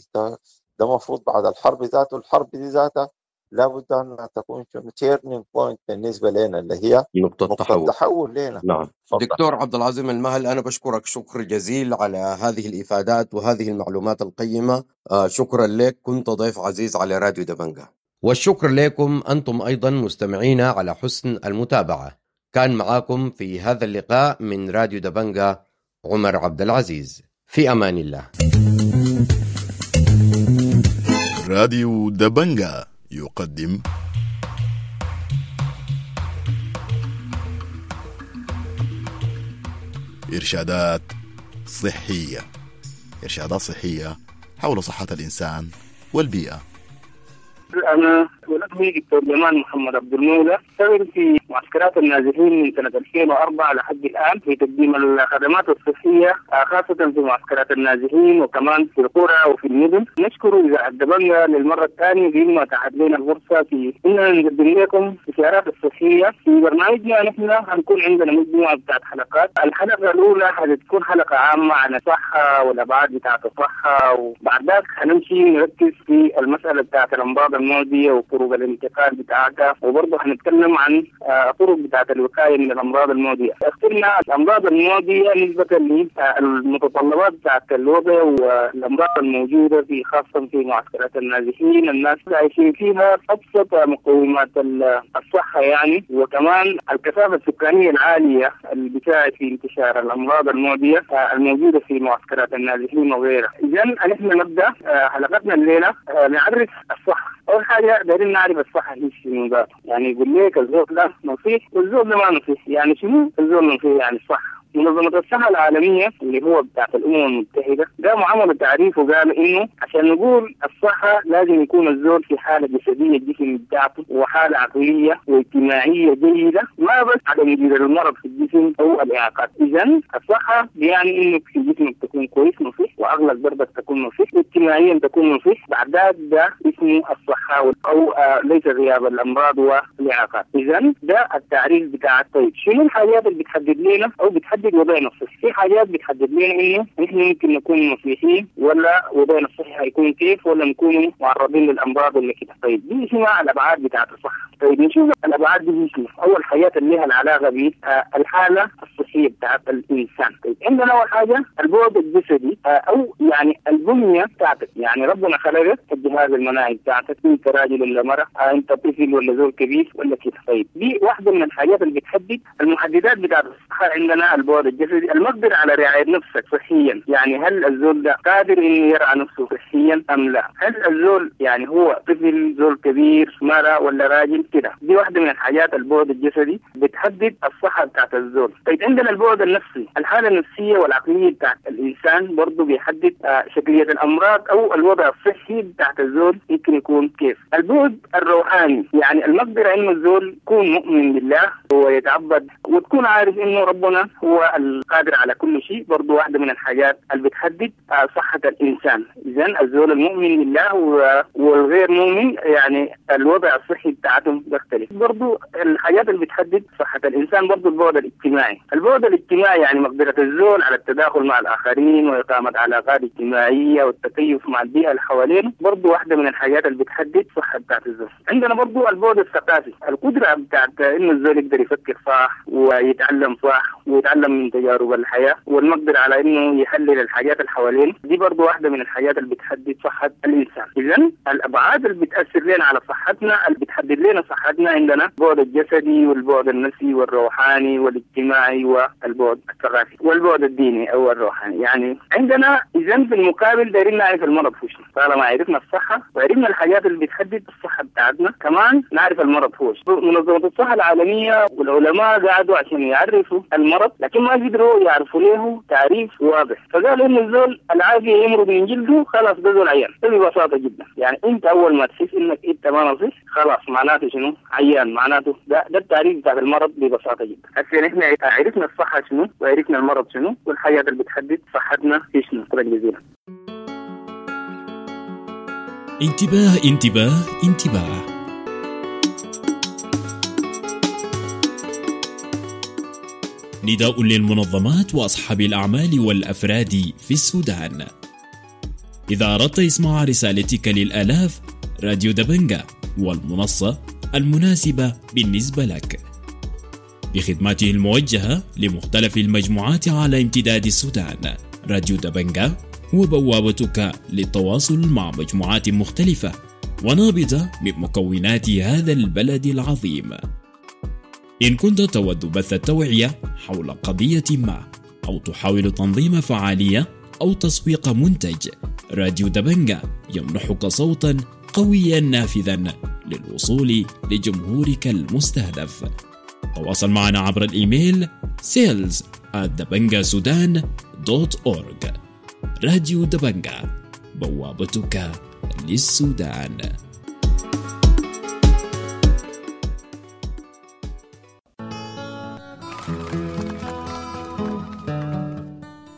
ده مفروض بعد الحرب ذاته، الحرب دي ذاتها لابد أنها تكون turning point بالنسبة لنا، اللي هي نقطة تحول لنا. نعم. دكتور عبد العظيم المهل، أنا بشكرك شكر جزيل على هذه الإفادات وهذه المعلومات القيمة. شكرا لك، كنت ضيف عزيز على راديو دبنجة. والشكر لكم أنتم أيضا مستمعينا على حسن المتابعة. كان معاكم في هذا اللقاء من راديو دبنجة عمر عبد العزيز. في أمان الله. راديو دبنجة يقدم إرشادات صحية، إرشادات صحية حول صحة الإنسان والبيئة. أنا ولدني دكتور جمال محمد عبد المولى، اشتغل في معسكرات النازحين من سنة 2004 لحد الآن في تقديم الخدمات الصحية، خاصة في معسكرات النازحين وكمان في القرى وفي المدن. نشكر إذاعة دبنجا للمرة الثانية بما اتاحت لنا الفرصة في إننا نقدم لكم الإشارات الصحية. في برنامجنا نحن هنكون عندنا مجموعة بتاعت حلقات. الحلقة الأولى حتكون حلقة عامة عن الصحة والأبعاد بتاعت الصحة، وبعد ذاك هنمشي نركز في المسألة بتاعت الأمراض المعدية وطرق الانتقال بتاعتها، وبرضه هنتكلم عن طرق بتاعت الوقاية من الأمراض المعدية. اخترنا الأمراض المعدية نسبة للمتطلبات بتاعت الوضع والأمراض الموجودة في خاصة في معسكرات النازحين، الناس عايشين فيها أبسط مقومات الصحة يعني، وكمان الكثافة السكانية العالية اللي بتساعد في انتشار الأمراض المعدية الموجودة في معسكرات النازحين وغيرها. إذا نحن نبدأ حلقتنا الليلة نعرف الصحة. أول حاجة دايرين نعرف الصحة هي شنو ذاته، يعني يقول لك الزول ده نصيح والزول ده ما نصيح، يعني شنو الزول نصيح؟ يعني الصحة. منظمة الصحة العالمية اللي هو بتاعت الأمم المتحدة قاموا عملوا تعريف وقالوا إنه عشان نقول الصحة لازم يكون الزول في حالة جسدية الجسم بتاعته وحالة عقلية واجتماعية جيدة، ما بس عدم وجود المرض في الجسم أو الإعاقات. إذا الصحة يعني إنه في جسمك تكون كويس نصيح، وعقلك برضك تكون نصيح، واجتماعيا تكون نصيح، بعد ذاك ده اسمه الصحة أو ليس غياب الأمراض والإعاقات. إذا ده التعريف بتاع. طيب شنو الحاجات اللي بتحدد لنا أو بتحدد وضعنا الصحي؟ في حاجات بتحدد لنا انه نحن ممكن نكون نصيحين ولا وضعنا الصحي هيكون كيف، ولا نكون معرضين للامراض ولا كده. طيب دي اسمها الابعاد بتاعت الصحة. طيب نشوف الابعاد دي شنو. اول حاجات اللي لها العلاقة بالحالة الصحية بتاعت الانسان. طيب عندنا اول حاجة البعد الجسدي او يعني البنية بتاعتك، يعني ربنا خلقك الجهاز المناعي بتاعتك، انت راجل ولا مرأة، انت طفل ولا زول كبير ولا كده. طيب دي واحدة من الحاجات اللي بتحدد المحددات بتاعت الصحة. عندنا البعد الجسدي، المقدرة على رعاية نفسك صحيا، يعني هل الزول ده قادر انه يرعى نفسه صحيا ام لا؟ هل الزول يعني هو طفل، زول كبير، مرأة ولا راجل كده؟ دي واحدة من الحاجات البعد الجسدي بتحدد الصحة بتاعت الزول. طيب عندنا البعد النفسي، الحالة النفسية والعقلية بتاعت الإنسان برضه بيحدد شكلية الأمراض أو الوضع الصحي بتاعت الزول يمكن يكون كيف. البعد الروحاني، يعني المقدرة إنه الزول يكون مؤمن بالله ويتعبد وتكون عارف إنه ربنا هو القادر على كل شيء، برضو واحدة من الحاجات اللي بتحدد صحة الإنسان. إذن الزول المؤمن بالله والغير مؤمن يعني الوضع الصحي بتاعتهم بيختلف. برضو الحاجات اللي بتحدد صحة الإنسان برضو البعد الاجتماعي. البعد الاجتماعي يعني مقدرة الزول على التداخل مع الآخرين وإقامة علاقات اجتماعية والتكيف مع البيئة اللي حوالينه، برضو واحدة من الحاجات اللي بتحدد صحة بتاعت الزول. عندنا برضو البعد الثقافي، القدرة بتاعت إنه الزول يقدر يفكر صح ويتعلم صح ويتعلم من تجارب الحياة والمقدرة على إنه يحلل الحاجات اللي حوالينه، دي برضو واحدة من الحاجات اللي بتحدد صحة الإنسان. إذن الأبعاد اللي بتأثر لنا على صحتنا، اللي بتحدد لنا صحتنا، عندنا البعد الجسدي والبعد النفسي والروحاني والاجتماعي والبعد الثقافي والبعد الديني أو الروحاني. يعني عندنا إذن في المقابل دايرين نعرف المرض هو شنو. طالما عرفنا الصحة وعرفنا الحاجات اللي بتحدد الصحة بتاعتنا، كمان نعرف المرض هو شنو. منظمة الصحة العالمية والعلماء قعدوا عشان يعرفوا المرض، لكن ما قدروا يعرفوا له تعريف واضح. فقالوا إن الزول العافية يمرض من جلده، خلاص ده زول عيان. ده ببساطة جدا، يعني أنت أول ما تحس إنك أنت ما نصيح خلاص معناته شنو؟ عيان، معناته ده التعريف بتاع المرض ببساطة جدا. هسه نحن عرفنا الصحة شنو وعرفنا المرض شنو والحاجات اللي بتحدد صحتنا في شنو. شكرا جزيلا. انتباه انتباه انتباه. نداء للمنظمات وأصحاب الأعمال والأفراد في السودان. إذا أردت إسماع رسالتك للآلاف، راديو دبنجا والمنصة المناسبة بالنسبة لك بخدماته الموجهة لمختلف المجموعات على امتداد السودان. راديو دبنجا هو بوابتك للتواصل مع مجموعات مختلفة ونابضة من مكونات هذا البلد العظيم. إن كنت تود بث التوعية حول قضية ما أو تحاول تنظيم فعالية أو تسويق منتج، راديو دبنجا يمنحك صوتا قويا نافذا للوصول لجمهورك المستهدف. تواصل معنا عبر الإيميل sales info@dabangasudan.org. راديو دبنجا، بوابتك للسودان.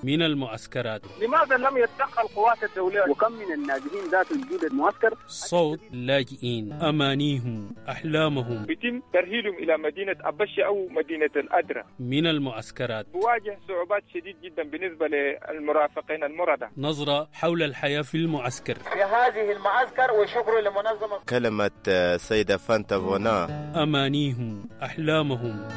من المعسكرات. لماذا لم يتدخل قوات الدولة؟ وكم من النازحين ذات وجود المعسكر؟ صوت لاجئين، أمانيهم، أحلامهم. يتم ترحيلهم إلى مدينة أبشي أو مدينة الأدرة. من المعسكرات بواجه صعوبات شديد جدا بالنسبة للمرافقين المرضى. نظرة حول الحياة في المعسكر، في هذه المعسكر، وشكر لمنظمة. كلمة سيدة فانتا فونا. أمانيهم، أحلامهم.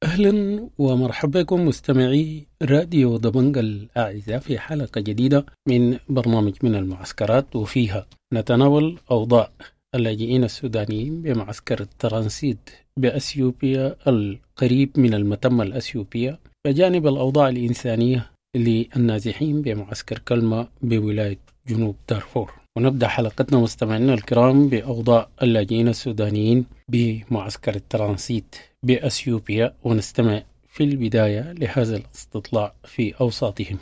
أهلا ومرحبا بكم مستمعي راديو دبنجا الأعزاء في حلقة جديدة من برنامج من المعسكرات، وفيها نتناول أوضاع اللاجئين السودانيين بمعسكر الترانسيت بأثيوبيا القريب من المتمة الأثيوبية، بجانب الأوضاع الإنسانية للنازحين بمعسكر كلمة بولاية جنوب دارفور. ونبدأ حلقتنا مستمعينا الكرام بأوضاع اللاجئين السودانيين بمعسكر الترانسيت بأثيوبيا، ونستمع في البداية لهذا الاستطلاع في أوساطهم.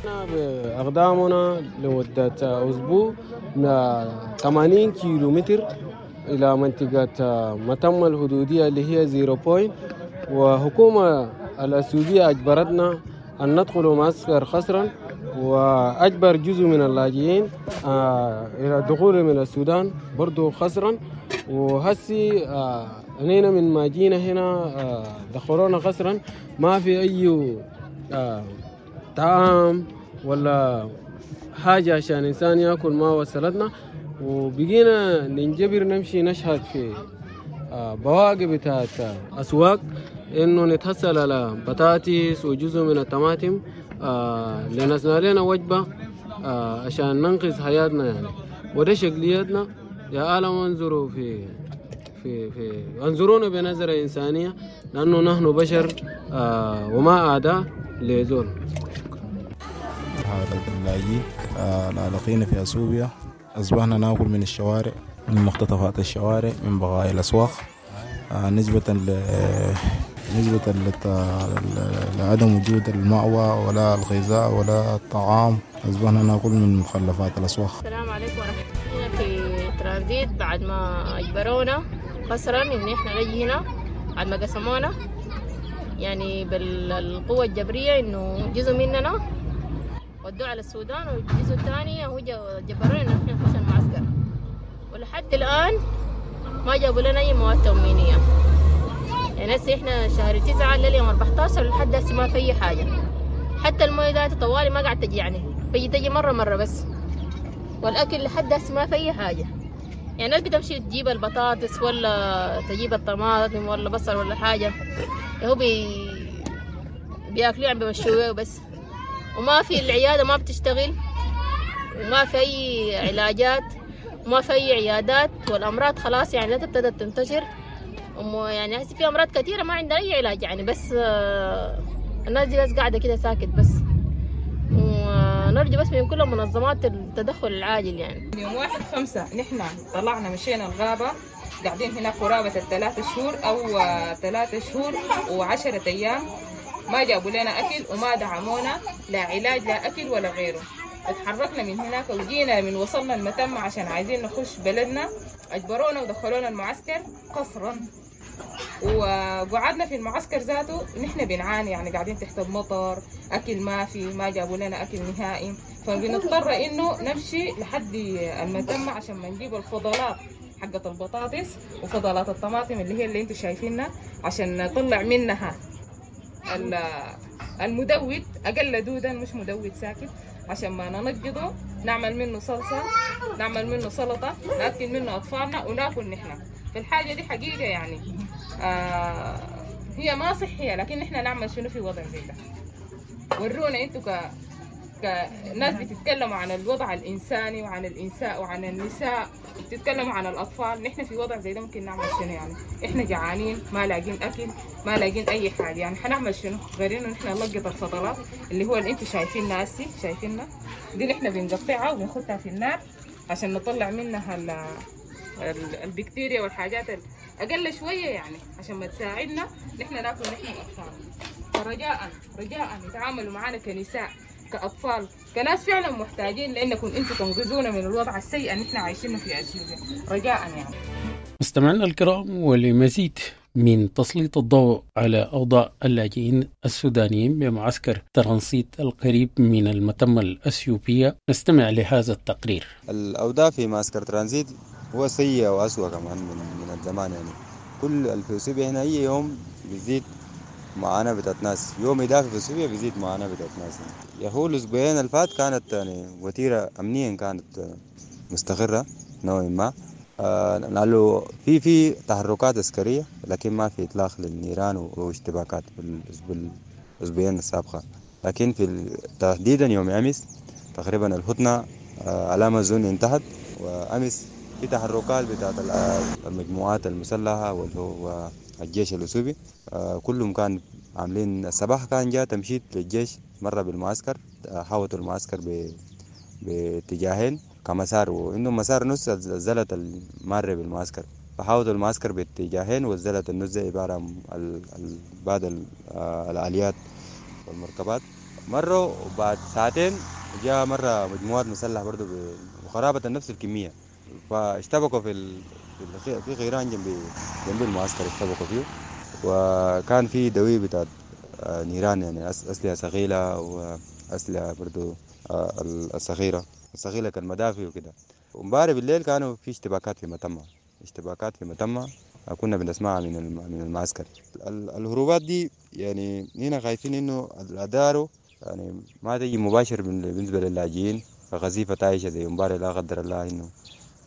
بأقدامنا لمدة أسبوع 80 كيلومتر إلى منطقة متمة الحدودية اللي هي zero point، وحكومة الأثيوبية أجبرتنا أن ندخل معسكر قسرا، وأجبر جزء من اللاجئين إلى الدخول من السودان برضو قسرا. وهسي أنينا من ما جينا هنا دخلونا قسرا، ما في أي طعام ولا حاجة عشان إنسان يأكل، ما وصلتنا. وبقينا ننجبر نمشي نشهد في بواقي بتاعت أسواق إنه نتحصل على بطاطس وجزء من الطماطم لنصنع لنا وجبة عشان ننقذ حياتنا يعني. وده شكليتنا يا عالم، انظروا في في في انظرونا بنظرة إنسانية، لأنه نحن بشر وما أعداء لزول. هذا اللاجئين العالقين في أثيوبيا أصبحنا نأكل من الشوارع، من مقتطفات الشوارع، من بقايا الأسواق، نسبة لعدم وجود المأوى ولا الغذاء ولا الطعام، أصبحنا نأكل من مخلفات الأسواق. السلام عليكم ورحمة الله. في ترانزيت بعد ما أجبرونا قسرا إن إحنا نجي هنا، بعد ما قسمونا يعني بالقوة الجبرية، إنه جزء مننا ودوه على السودان والجزء الثاني هو جبرونا إن إحنا نخش المعسكر، ولحد الآن ما جابوا لنا أي مواد تموينية. يعني هسه إحنا شهر 9 لليوم 14 لحد هسه ما في أي حاجة، حتى الموية ذات طوالي ما قاعد تجي، يعني بيجي تجي مرة بس، والأكل لحد هسه ما في أي حاجة. يعني الناس بتمشي تجيب البطاطس ولا تجيب الطماطم ولا بصل ولا حاجة، هو بياكلوه يعني بيمشوه بس، وما في العيادة ما بتشتغل، وما في أي علاجات، وما في أي عيادات، والأمراض خلاص يعني لا ابتدت تنتشر، يعني هسه في أمراض كثيرة ما عندها أي علاج يعني، بس الناس دي بس قاعدة كده ساكت بس. ونرجو بس من كل منظمات التدخل العاجل يعني. يوم 1/5 نحن طلعنا مشينا الغابة، قاعدين هنا قرابة 3 شهور أو 3 شهور و10 أيام، ما جابوا لنا أكل وما دعمونا، لا علاج لا أكل ولا غيره. اتحركنا من هناك وجينا من وصلنا المتمة عشان عايزين نخش بلدنا، أجبرونا ودخلونا المعسكر قصرا، وقعدنا في المعسكر ذاته نحن بنعاني يعني، قاعدين تحت المطر، أكل ما في، ما جابوا لنا أكل نهائي، فبنضطر إنه نمشي لحد المتمة عشان ما نجيب الفضلات حقة البطاطس وفضلات الطماطم اللي هي اللي انتم شايفينها، عشان نطلع منها المدود أقل دودا، مش مدود ساكت، عشان ما ننجضه نعمل منه صلصة، نعمل منه سلطة، نأكل منه أطفالنا وناكل نحن. فالحاجة دي حقيقة يعني هي ما صحية، لكن نحن نعمل شنو في وضع زي ده؟ ورونا انتوا كناس بتتكلموا عن الوضع الإنساني وعن الإنساء وعن النساء، بتتكلموا عن الأطفال، نحن في وضع زي ده ممكن نعمل شنو يعني؟ إحنا جعانين، ما لاقين أكل، ما لاقين أي حاجة، يعني حنعمل شنو غير إنه نحن نلقط الفضلات اللي هو اللي أنتوا شايفينها هسي، شايفينها دي نحن بنقطعها وبنخدها في النار عشان نطلع منها البكتيريا والحاجات اقل شوية يعني، عشان ما تساعدنا نحن ناكل نحن واطفالنا. فرجاء رجاء يتعاملوا معنا كنساء، كاطفال، كناس فعلا محتاجين، لانكم انتم تنقذونا من الوضع السيء اللي احنا عايشينه في اثيوبيا، رجاء يعني. مستمعينا الكرام، ولمزيد من تسليط الضوء على أوضاع اللاجئين السودانيين بمعسكر ترانسيت القريب من المتمة الأثيوبية نستمع لهذا التقرير. الأوضاع في معسكر ترانزيت هو سيئة وأسوأ كمان من الزمان يعني. كل في اثيوبيا هنا أي يوم بيزيد معاناة بتاعت ناس، يوم إضافي في اثيوبيا بيزيد معاناة بتاعت ناس يعني. يهو الأسبوعين الفات كانت يعني وتيرة أمنيا كانت مستقرة نوعا ما، لأنه في تحركات عسكرية، لكن ما في إطلاق للنيران واشتباكات في الأسبوعين السابقة. لكن في تحديدا يوم أمس تقريبا الهدنة على ما أظن انتهت، وأمس في تحركات بتاعت المجموعات المسلحة واللي هو الجيش الأثيوبي، كلهم كان عاملين. الصباح كان جاء تمشيط للجيش مرة بالمعسكر، حاوطوا المعسكر باتجاهين كمسار، وإنه مسار نص زلت المارة بالمعسكر، فحاوطوا المعسكر باتجاهين وزلت النص عبارة عن بعض الآليات والمركبات. مروا وبعد ساعتين جاء مرة مجموعات مسلحة برضو بقرابة نفس الكمية، فاشتبكوا في غيران جنب المعسكر، اشتبكوا فيه، وكان في دوي بتاع نيران يعني، أسلحة ثقيلة وأسلحة برضو الصغيرة كالمدافع وكده. ومبارح بالليل كانوا في اشتباكات في متمة، كنا بنسمعها من المعسكر. الهروبات دي يعني هنا خايفين انه الادارة يعني ما تيجي مباشر بالنسبة للاجئين، غزيفة عايشة زي امبارح لا قدر الله انه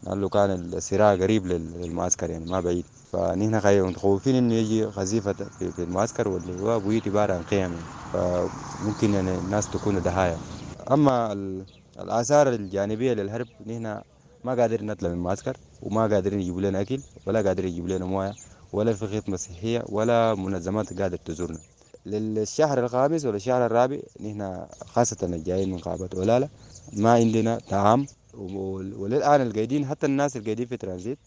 لانه كان الصراع قريب للمعسكر يعني ما بعيد، فنحن متخوفين انه يجي غزيفة في المعسكر واللي هو بيوت عبارة عن خيم، فممكن يعني الناس تكون ضحايا. اما الآثار الجانبية للهرب، نحن ما قادرين نطلع من المعسكر، وما قادرين يجيبوا لنا أكل، ولا قادرين يجيبوا لنا موية، ولا في خدمة صحية، ولا منظمات قادرة تزورنا. للشهر الخامس ولا الشهر الرابع نحن خاصة الجايين من غابة أولالا ما عندنا طعام، وللآن القايدين حتى الناس القايدين في ترانزيت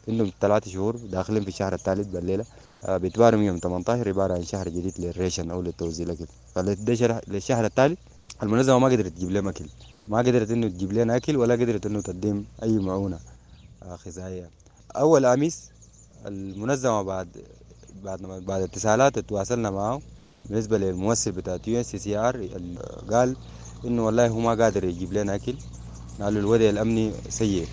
عندهم 3 شهور داخلين في الشهر الثالث بالليلة، بيتباروا يوم 18 عبارة عن شهر جديد للريشن أو للتوزيع الأكل. فللشهر الثالث المنظمة ما قدرت تجيب لهم أكل، ما قدرت إنه تجيب لنا أكل، ولا قدرت إنه تقدم أي معونة غذائية. أول أمس المنظمة بعد اتصالات تواصلنا معه بالنسبة للممثل بتاع UNHCR، قال إنه والله هو ما قادر يجيب لنا أكل، قالوا الوضع الأمني سيء،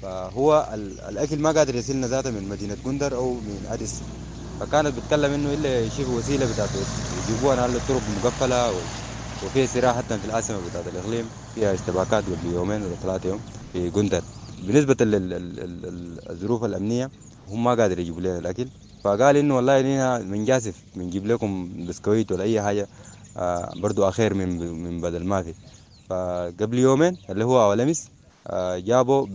فهو الأكل ما قادر يصلنا ذاته من مدينة جندر أو من أديس. فكانت بتكلم إنه إلا يشوفوا وسيلة بتاعته يجيبوها، قالوا الطرق مقفلة وفي صراع حتى في العاصمة بتاعت الإقليم فيها اشتباكات قبل يومين ولا 3 يوم في جندر. بالنسبة للظروف الأمنية هم ما قادر يجيبوا لنا الأكل، فقال إنه والله لنا من جاسف بنجيب لكم بسكويت ولا أي حاجة برضو أخير من بدل ما في. فقبل يومين اللي هو أول أمس جابوا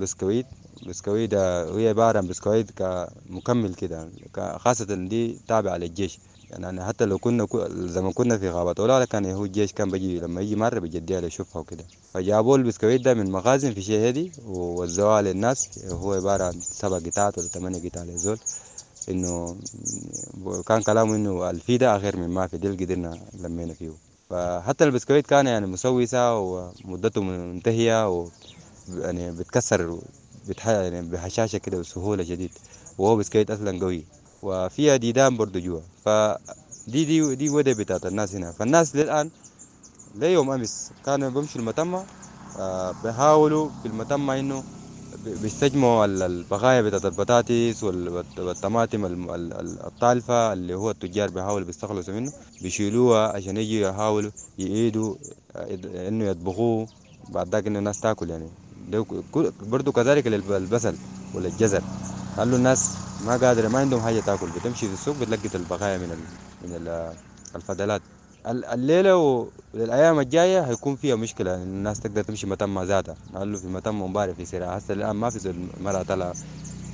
بسكويت هي عبارة عن بسكويت كمكمل كده، خاصة دي تابعة للجيش يعني. حتى لو كنا زمان كنا في غابة أولالا كان هو الجيش كان بيجي لما يجي مرة بيجديها ليشوفها وكده، فجابوا البسكويت ده من مخازن في شهدي ووزعوها للناس. هو عبارة عن 7 قطعات ولا 8 قطع للزول، إنه كان كلامه إنه الفيدة أخير من ما في دي اللي قدرنا لمينا فيه. فحتى البسكويت كان يعني مسوسة ومدته منتهية و يعني بتكسر يعني بهشاشة كده بسهولة شديد، وهو بسكويت أصلا قوي وفيها ديدان برضو جوا. فدي دي دي ودي بتاعت الناس هنا. فالناس للآن ليوم أمس كانوا بمشوا المتمة، بيحاولوا في المتمة إنه بيستجمعوا البقايا بتاعت البطاطس والطماطم الطالفة اللي هو التجار بيحاولوا بيستخلصوا منه، بيشيلوها عشان يجوا يحاولوا يعيدوا إنه يطبخوه بعد ذاك إنه الناس تاكل يعني. برضو كذلك البصل ولا الجزر، قالوا الناس ما قادرة ما عندهم حاجة تاكل، بتمشي في السوق بتلقط البقايا من الفضلات. الليلة والأيام الجاية هيكون فيها مشكلة يعني الناس تقدر تمشي متمة ذاتها، قالوا في متمة مبارك في سرعة هسه الآن ما في زول مرة طلع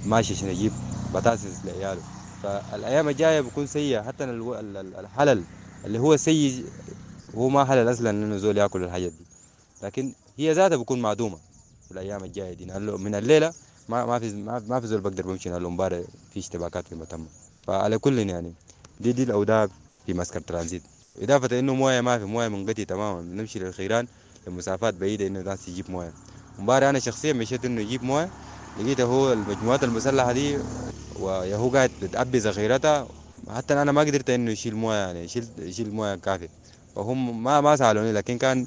ماشي عشان يجيب بطاطس لعياله. فالأيام الجاية بيكون سيئة، حتى الحلل اللي هو سيء هو ما حلل أصلا إنه زول ياكل الحاجات دي، لكن هي ذاتها بيكون معدومة. في الايام الجاية دي، لانه من الليلة ما في زول بقدر بمشي، لانه امبارح في اشتباكات في متمه. فعلى كل يعني دي الاوضاع في معسكر ترانزيت، اضافه انه مويه ما في، مويه منقطع تماما، بنمشي للخيران لمسافات بعيدة انه الناس تجيب مويه. امبارح انا شخصيا مشيت انه يجيب مويه، لقيته هو المجموعات المسلحة دي ويهو قاعد بتعبي ذخيرتها، حتى انا ما قدرت انه يشيل مويه، يعني يشيل مويه كافيه، فهم ما سالوني، لكن كان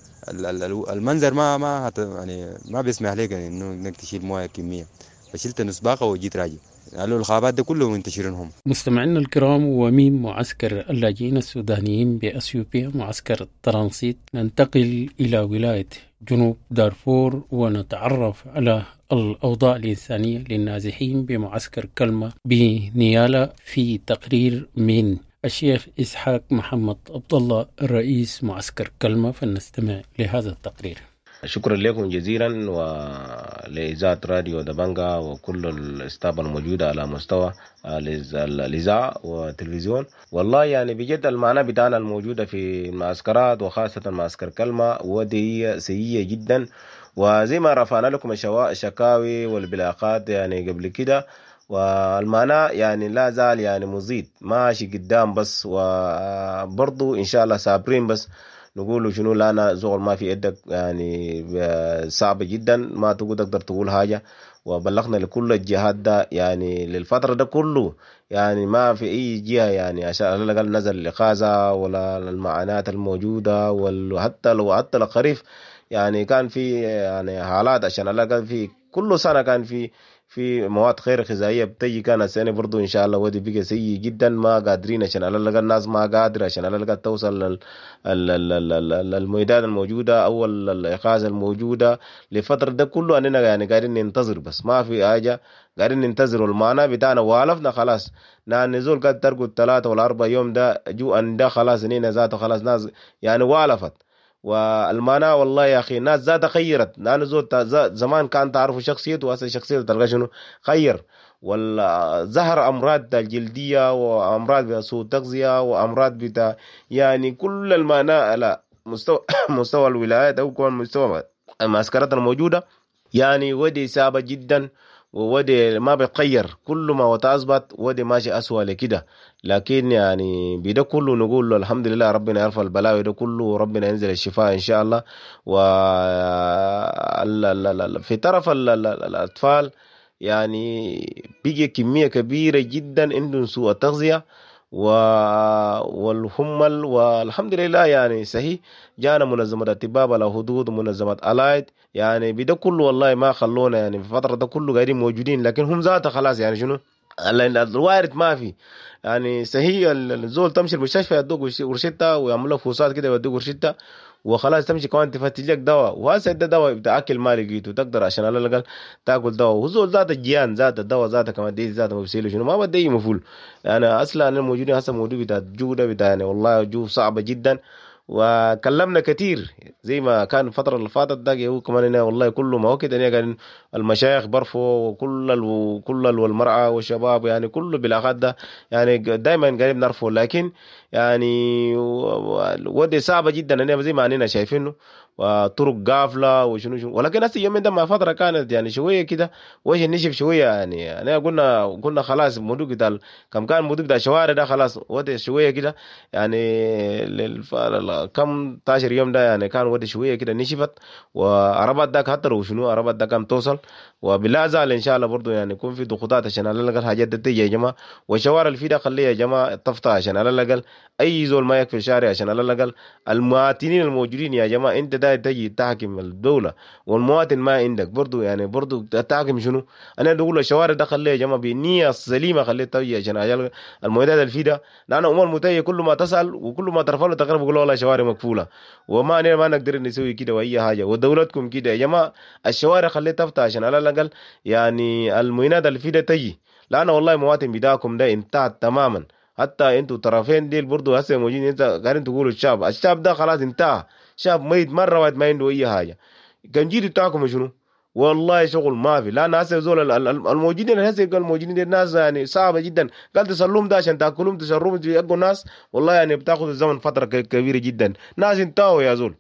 المنظر ما يعني ما بيسمح لك يعني انه انك تشيل مويه كمية، فشلت نص باقه وجيت راجع. قالوا الغابات ده كلهم منتشرين هم. مستمعينا الكرام، ومن معسكر اللاجئين السودانيين بأثيوبيا معسكر ترانسيت ننتقل إلى ولاية جنوب دارفور ونتعرف على الأوضاع الإنسانية للنازحين بمعسكر كلمة بنيالا في تقرير من الشيخ إسحاق محمد عبد الله رئيس معسكر كلمة، فلنستمع لهذا التقرير. شكرا لكم جزيلا ولإذاعة راديو دبنجا وكل ال staff الموجودة على مستوى الإذاعة والتلفزيون. والله يعني بجد المعنى بتاعنا الموجودة في المعسكرات وخاصة معسكر كلمة ودي سيئة جدا، وزي ما رفعنا لكم الشكاوي والبلاغات يعني قبل كده، والمعنى يعني لا زال يعني مزيد ماشي قدام بس، وبرضو إن شاء الله صابرين بس نقول شنو لانا زغل ما في يدك يعني صعب جدا، ما تقدر تقول حاجة، وبلغنا لكل الجهات ده يعني للفترة ده كله، يعني ما في أي جهة يعني عشان على الأقل نزل الإغاثة ولا المعاناة الموجودة، وحتى لو حتى الخريف يعني كان في يعني حالات عشان على الأقل في كل سنة كان في مواد خير غذائية بتجي، كان السنة برضو إن شاء الله ودي بقى سيء جدا، ما قادرين عشان على الأقل الناس ما قادرة عشان على الأقل توصل للميدان الموجودة أو الإغاثة الموجودة لفترة ده كله. أننا يعني قاعدين ننتظر بس ما في حاجة، قاعدين ننتظر، والمعنى بتاعنا والفنا خلاص، نزول قد ترقد 3 ولا 4 يوم ده جوعا ده خلاص نينا ذاته خلاص ناس يعني والفت. والمعنى والله يا اخي ناس ذاتها خيرت، لانه زول زمان كان تعرفوا شخصيته وهسه شخصيته تلقى شنو خير، والظهر امراض الجلدية وامراض سوء التغذية وامراض بتاع يعني كل المعنى على مستوى الولايات او كمان مستوى المعسكرات الموجودة، يعني ودي صعبة جدا وودي ما بيتغير، كل ما وتأثبت ودي ماشي أسوأ لكده. لكن يعني بده كله نقول له الحمد لله، ربنا يرفع البلاوي ده كله وربنا ينزل الشفاء إن شاء الله. و في طرف الأطفال يعني بيجي كمية كبيرة جدا عندهم سوء التغذية والهمل، والحمد لله يعني صحيح جانا منظمة الطباب على حدود ومنظمة ألايد يعني بده كله والله ما خلونا يعني في الفترة ده كله قاعدين موجودين، لكن هم ذاته خلاص يعني شنو الوارد ما في يعني صحيح. الزول تمشي المستشفى يدوك ورشتة ويعملوا فحوصات كده يدوك ورشتة وخلاص، تمشي كمان تفتش لك دواء، وهسه ده دواء بتاع اكل ما لقيته تقدر عشان على الاقل تاكل دواء، وزول ذات الجيان ذات الدواء ذاته كمان دي ذاته ما بيسيلوا شنو ما بدي مفول. انا يعني اصلا انا موجودين هسه موجود بتاع الجودة بتاع يعني والله جو صعبة جدا، وكلمنا كثير زي ما كان الفترة اللي فاتت ده هو كمان هنا والله كله ما وقت يعني كان المشايخ برفوا وكل كل والمرأة والشباب يعني كله بالاخات ده يعني دائما قاعدين نرفوا، لكن يعني ودي صعبة جدا يعني زي ما اننا شايفينه وطرق قافله وشنو شنو. ولكن هسه اليومين ده مع فترة كانت يعني شوية كده وجه نشف شوية يعني يعني قلنا خلاص الموضوع بتاع كم كان الموضوع بتاع الشوارع ده خلاص ودي شوية كده يعني كم 12 يوم ده يعني كان ودي شوية كده نشفت، وعربات داك حتى لو شنو عربات داك كم توصل، وبلا زال ان شاء الله برضه يعني يكون في ضغوطات عشان على الاقل حاجات دي تيجي يا جماعة، والشوارع اللي في ده خليها يا جماعة تفتح عشان على الاقل اي زول ما يكفي الشارع، عشان على الاقل المواطنين الموجودين يا جماعة انت ده تجي تحكم الدولة والمواطن ما عندك برضو يعني برضو تحكم شنو؟ انا بقول الشوارع ده خليها يا جماعة بالنية السليمة خليها تجي عشان المعدات اللي في ده، لان امور متيه كل ما تسال وكل ما ترفع له تقرب يقول والله شوارع مقفولة وما ما نقدر نسوي كده واي حاجة، ودولتكم كده يا جماعة الشوارع خليها تفتح عشان على الاقل يعني المعدات اللي في ده تجي، لان والله مواطن بتاعكم ده انتهت تماما. حتى انتوا طرفين ديل برضو هسه موجودين انت قاعدين تقولوا الشاب ده خلاص انتهى، شاب ميت مرة واحد ما عنده اي حاجة، كان جيتوا بتاعكم شنو؟ والله شغل ما في، لان هسه زول الموجودين هسه الموجودين الناس يعني صعبة جدا، قال تسلوهم ده عشان تاكلهم تشربهم تيقوا الناس، والله يعني بتاخذ الزمن فترة كبيرة جدا، ناس انتهوا يا زول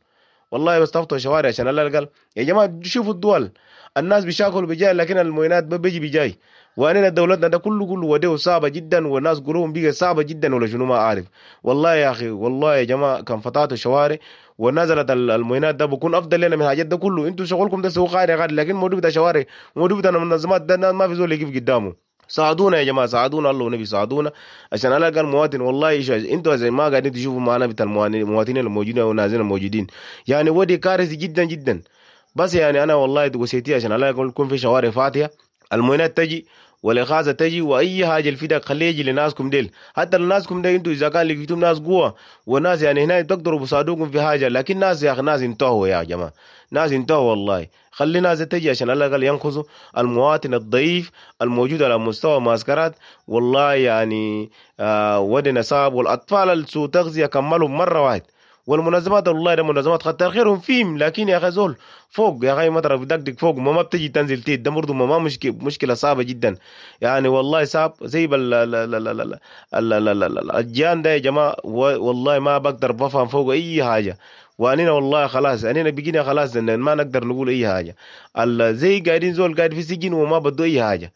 والله، بس تفتحوا شوارع عشان على الاقل يا جماعة شوفوا الدول. الناس بيشاكلوا بجاي، لكن المعينات بيجي بجاي. وأنا دولتنا ده كله وديه صعبة جدا، والناس قلوبهم بقى صعبة جدا ولا شنو ما أعرف. والله يا أخي، والله يا جماعة كان فتحتوا الشوارع ونزلت المعينات ده بكون أفضل لنا من الحاجات ده كله. انتوا شغلكم ده سوق غالي غالي، لكن موضوع بتاع شوارع وموضوع بتاع المنظمات ده ما في زول يقف قدامه. ساعدونا يا جماعة، ساعدونا الله ونبي ساعدونا عشان على الاقل مواطن. والله انتوا زي ما قاعدين تشوفوا معنا بتاع المواطنين الموجودين والنازلين الموجودين، يعني ودي كارثة جدا جدا. بس يعني انا والله وصيتي عشان على الاقل يكون في شوارع فاتحة، المعينات تجي والاغاثه تجي واي حاجة الفدا خليه يجي لناسكم ديل. حتى لناسكم ديل انتوا اذا كان لقيتم ناس قوة وناس يعني هنا تقدروا بصادوكم في حاجة، لكن ناس يا اخي ناس انتهوا يا جماعة، ناس انتهوا والله. خلي ناس تجي عشان على الاقل ينقذوا المواطن الضعيف الموجود على مستوى معسكرات. والله يعني ودنا صعب، والاطفال السوء تغذية كملوا مرة واحد. والمنظمات والله ده منظمات خطر خيرهم فيهم، لكن يا اخي زول فوق يا اخي مطر بدقدق فوق ما بتجي تنزل تيت ده برضه ما مشكلة صعبة جدا يعني. والله صعب زي الجان ده يا جماعة، والله ما بقدر بفهم فوق اي حاجة. واننا والله خلاص اننا بقينا خلاص ما نقدر نقول اي حاجة. زي قاعدين زول قاعد في سجن وما بده اي حاجة.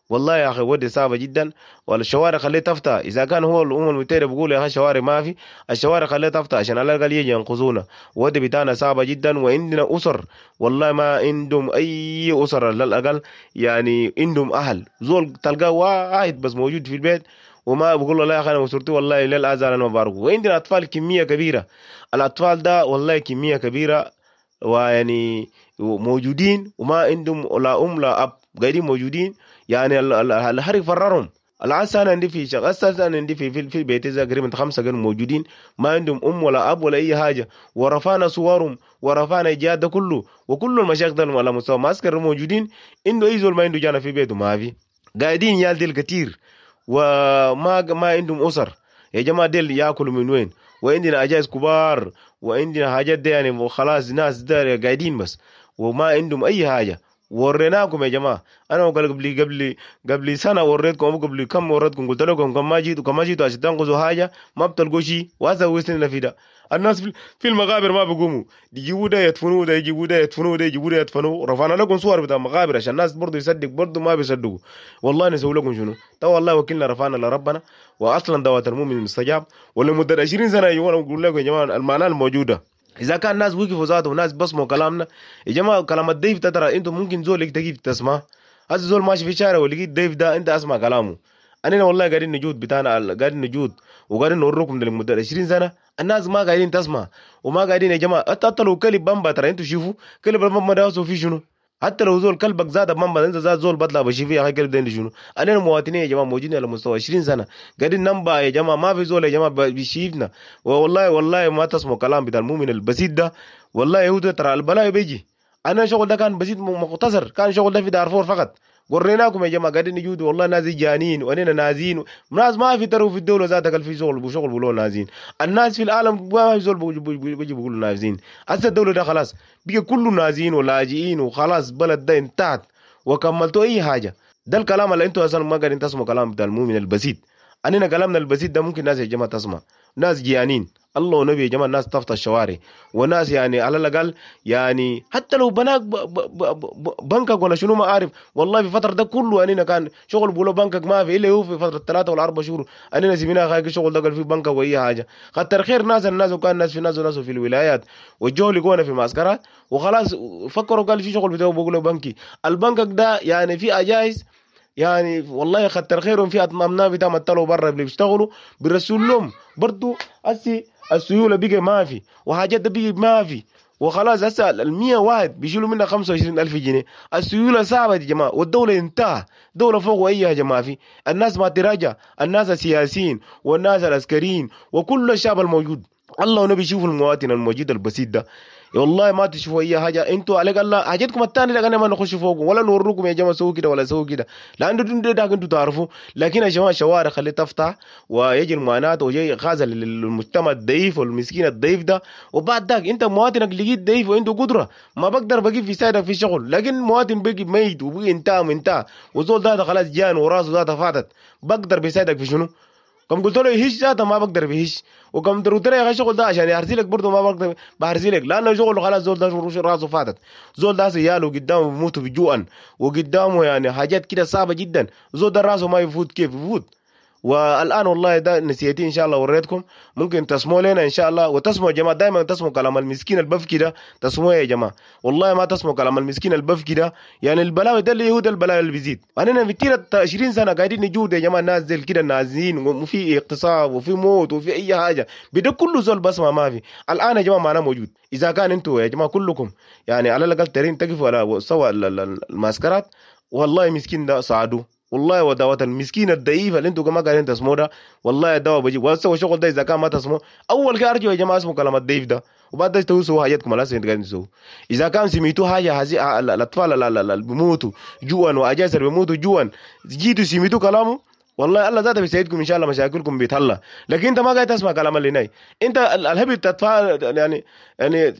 والله يا اخي ودي صعبة جدا. والشوارع خليه تفتح، اذا كان هو الامم المتحدة بيقول يا اخي الشوارع ما في، الشوارع خليه تفتح عشان على الاقل يجي ينقذونا. ودي بتاعنا صعبة جدا، وعندنا اسر والله ما عندهم اي اسر على الاقل، يعني عندهم اهل زول تلقاه واحد بس موجود في البيت وما بقول له لا يا اخي انا اسرتي والله للازال انا مبارك. وعندنا اطفال كمية كبيرة، الاطفال ده والله كمية كبيرة ويعني موجودين وما عندهم لا ام لا اب، قاعدين موجودين يعني. الحرق فررهم. العسى انا عندي في شغل، انا عندي في بيتي تقريبا 5 كانوا موجودين ما عندهم ام ولا اب ولا اي حاجة، ورفعنا صورهم ورفعنا الجهاد ده كله، وكل المشايخ ده على مستوى معسكر موجودين. عنده اي زول ما عنده جانا في بيته ما في، قاعدين يال ديل كتير وما ما عندهم اسر يا جماعة. ديل ياكلوا من وين؟ وعندنا عجائز كبار وعندنا حاجات دي يعني خلاص ناس ده قاعدين بس وما عندهم اي حاجة. وريناكم يا جماعة، انا قبل قبل قبل سنة وريتكم، قبل كم وريتكم قلت لكم كم ما جيتوا كم ما جيتوا عشان تنقذوا حاجة ما بتلقوا شيء. وهذا وصلنا في ده. الناس في المقابر ما بيقوموا، يجيبوا ده يدفنوه ده، يجيبوا ده يدفنوه ده، يجيبوا ده يدفنوه. رفعنا لكم صور بتاع المقابر عشان الناس برضه يصدق، برضه ما بيصدقوا. والله نسوي لكم شنو؟ تو والله وكلنا رفعنا لربنا، واصلا دعوة المؤمن المستجاب. ولمده 20 سنة يا جماعة بقول لكم يا جماعة المعنى الموجودة. اذا كان الناس وقفوا ذاته وناس بصموا كلامنا يا جماعة، كلام الضيف ده ترى انتم ممكن زول تجي تسمع. هذا زول ماشي في شارع ولقيت ضيف ده انت اسمع كلامه. انا والله قاعدين نجود بتاعنا، قاعدين نجود وقاعدين نوريكم لمدة 20 سنة الناس ما قاعدين تسمع وما قاعدين يا جماعة. حتى لو كلب بامبا ترى انتم شوفوا كلب بامبا ده في شنو؟ حتى لو زول كلبك زاد بامبا انت زاد زول بطلع بشوف يا اخي كلب ده شنو؟ انا المواطنين يا جماعة موجودين على مستوى 20 سنة قاعدين ننبع يا جماعة، ما في زول يا جماعة بيشيفنا. والله والله ما تسمعوا كلام بتاع المؤمن البسيط ده. والله يهود ترى البلاء بيجي. انا شغل ده كان بسيط مختصر، كان شغل ده في دارفور فقط. وريناكم يا جماعة قاعدين نجود والله ناس جانين واننا نازين، ناس ما في تروا في الدولة ذاتك في شغل وشغل بيقولوا نازين. الناس في العالم ما في زول بيجي بيقولوا نازين. هسه الدولة ده خلاص بقى كله نازين ولاجئين وخلاص بلد ده انتهت وكملتوا اي حاجة. ده الكلام اللي انتوا اصلا ما قاعدين تسمعوا كلام بتاع المؤمن البسيط. اننا كلامنا البسيط ده ممكن ناس يا جماعة تسمع، ناس جيانين الله ونبي يا جماعة، الناس تفتح الشوارع وناس يعني على الاقل يعني حتى لو بناك بنكك ولا شنو ما اعرف. والله في فترة ده كله اننا كان شغل بيقولوا بنكك ما في الا هو في فترة 3 ولا 4 شهور اننا سميناها خايك شغل ده قال في بنكك واي حاجة. خاطر خير ناس الناس، وكان ناس في ناس وناس في الولايات والجو لقونا في المعسكرات وخلاص فكروا قال في شغل بتاعه بيقولوا بنكي. البنكك ده يعني في اجايز يعني والله خطر خيرهم في أبناء بتاع مطلعوا برا اللي بيشتغلوا بيرسلوا لهم برضو. هسي السيولة بقى ما في وحاجات بقى ما في وخلاص. هسه ال 100 واحد بيشيلوا منها 25,000 جنيه. السيولة صعبة يا جماعة والدولة انتهى، دولة فوق اي يا جماعة. في الناس ما تراجع، الناس السياسيين والناس العسكريين وكل الشعب الموجود. الله ونبي شوفوا المواطن الموجود البسيط ده والله ما تشوفوا اي حاجة. انتوا عليك الله حاجتكم الثانية ده ما نخش فوقكم ولا نوريكم يا جماعة سووا كده ولا سووا كده، لانه ده انتوا تعرفوا. لكن يا جماعة الشوارع خلي تفتح ويجي المعاناة ويجي غازل للمجتمع الضعيف والمسكين الضعيف ده. وبعد ذاك انت مواطنك لقيت ضعيف وعنده قدره ما بقدر بجيب في سايدك في شغل، لكن مواطن بقي ميت وبقي انتهى وانتهى وزول ده خلاص جان وراسه ده فاتت، بقدر بيساعدك في شنو؟ كم قلت له يهش ذاته ما بقدر بيهش، وكم قلت له يا اخي الشغل ده عشان يرسلك برضه ما بقدر بهرسلك، لانه شغله خلاص زول ده راسه فاتت، زول ده سياله قدامه بيموتوا بجوعا، وقدامه يعني حاجات كده صعبة جدا، زول ده راسه ما يفوت، كيف يفوت؟ والان والله ده نسيتي ان شاء الله وريتكم، ممكن تسمعوا لنا ان شاء الله، وتسمعوا يا جماعة دائما تسمعوا كلام المسكين البفكي ده، تسمعوا يا جماعة والله ما تسمعوا كلام المسكين البفكي ده، يعني البلاوي ده اللي هو ده البلاوي اللي بيزيد. انا في كتير 20 سنة قاعدين نجود يا جماعة، الناس زي كده نازلين، وفي اغتصاب وفي موت وفي اي حاجة، بده كله زول بسمع ما في. الان يا جماعة معنا موجود، اذا كان انتم يا جماعة كلكم يعني على الاقل ترين تقفوا على سوا الماسكرات، والله مسكين ده ساعدوه والله، ودعوة المسكين الضعيف اللي انتم كمان قاعدين تسموه ده، والله الدواء بجيب وسووا شغل ده اذا كان ما تسموه اول كده ارجعوا يا جماعة اسمه كلام الضعيف ده، وبعد ده تسووا حاجاتكم على اساس قاعدين تسووا. اذا كان سميتوه حاجة هذه الاطفال اللي بيموتوا جوعا واجاز اللي بيموتوا جوعا، جيتوا سميتوا كلامه والله الله ذاته بيساعدكم ان شاء الله، مشاكلكم بيتحل. لكن انت ما قاعد تسمع كلام اللي ناي، انت الهبل تدفع يعني يعني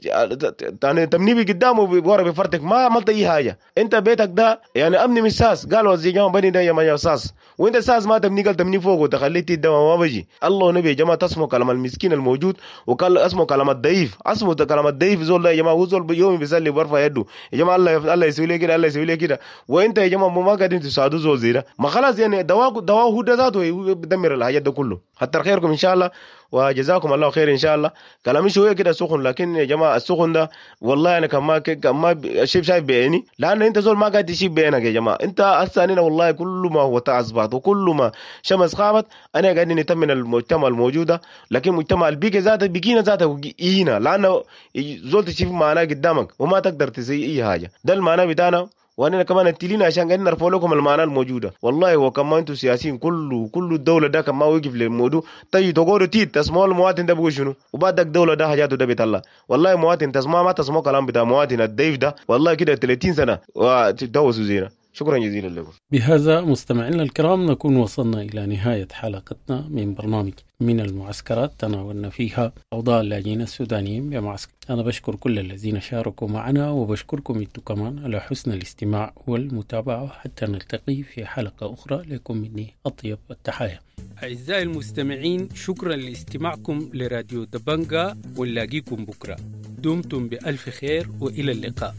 يعني تمنيبي قدامه ورا بفرتك، ما عملت اي حاجة. انت بيتك ده يعني امني من ساس، قالوا زي جماعة بني ده يا ساس، وانت ساس ما تبني، قال تبني فوق وتخليه ده ما بيجي. الله ونبي يا جماعة تسمعوا كلام المسكين الموجود، وقال اسمه كلام الضعيف، اسمه كلام الضعيف زول ده يا جماعة، هو زول يومي بيسلي وبرفع يده يا جماعة، الله الله يسوي لي كده، الله يسوي لي كده، وانت يا جماعة ما قاعدين تساعدوا زول زي ده، ما خلاص يعني دواء هو ده ذاته بدمر الحاجات ده كله. حتى خيركم ان شاء الله، وجزاكم الله خير ان شاء الله. كلامي شوية كده سخن، لكن يا جماعة السخن ده والله انا كان ما شايف بعيني، لان انت زول ما قاعد تشيب بعينك يا جماعة. انت هسه انا والله كل ما هو اصبحت وكل ما شمس غابت انا قاعد نتمن المجتمع الموجودة، لكن مجتمع البيئة ذاته بقينا ذاته اينا، لانه زول تشوف معناه قدامك وما تقدر تسوي اي حاجة. ده المعنى بتاعنا، وانا كمان التلين عشان قاعدين نرفع لكم المعنى الموجودة. والله وكمان انتم سياسيين كله كل الدولة ده كان ما وقف للموضوع، طيب تقولوا تيت تسمعوا المواطن ده بيقول شنو، وبعدك الدولة ده حاجاته ده بيطلع. والله مواطن تسمع ما تسمعوا كلام بتاع مواطن الضيف ده، والله كده 30 سنة وتدوسوا زينا. شكرا جزيلا لكم. بهذا مستمعينا الكرام نكون وصلنا إلى نهاية حلقتنا من برنامج من المعسكرات، تناولنا فيها أوضاع اللاجئين السودانيين بمعسكر. أنا بشكر كل الذين شاركوا معنا، وبشكركم أنتم كمان على حسن الاستماع والمتابعة، حتى نلتقي في حلقة أخرى. لكم مني أطيب التحايا. أعزائي المستمعين، شكرا لاستماعكم لراديو دبنجا، ونلاقيكم بكرة. دمتم بألف خير وإلى اللقاء.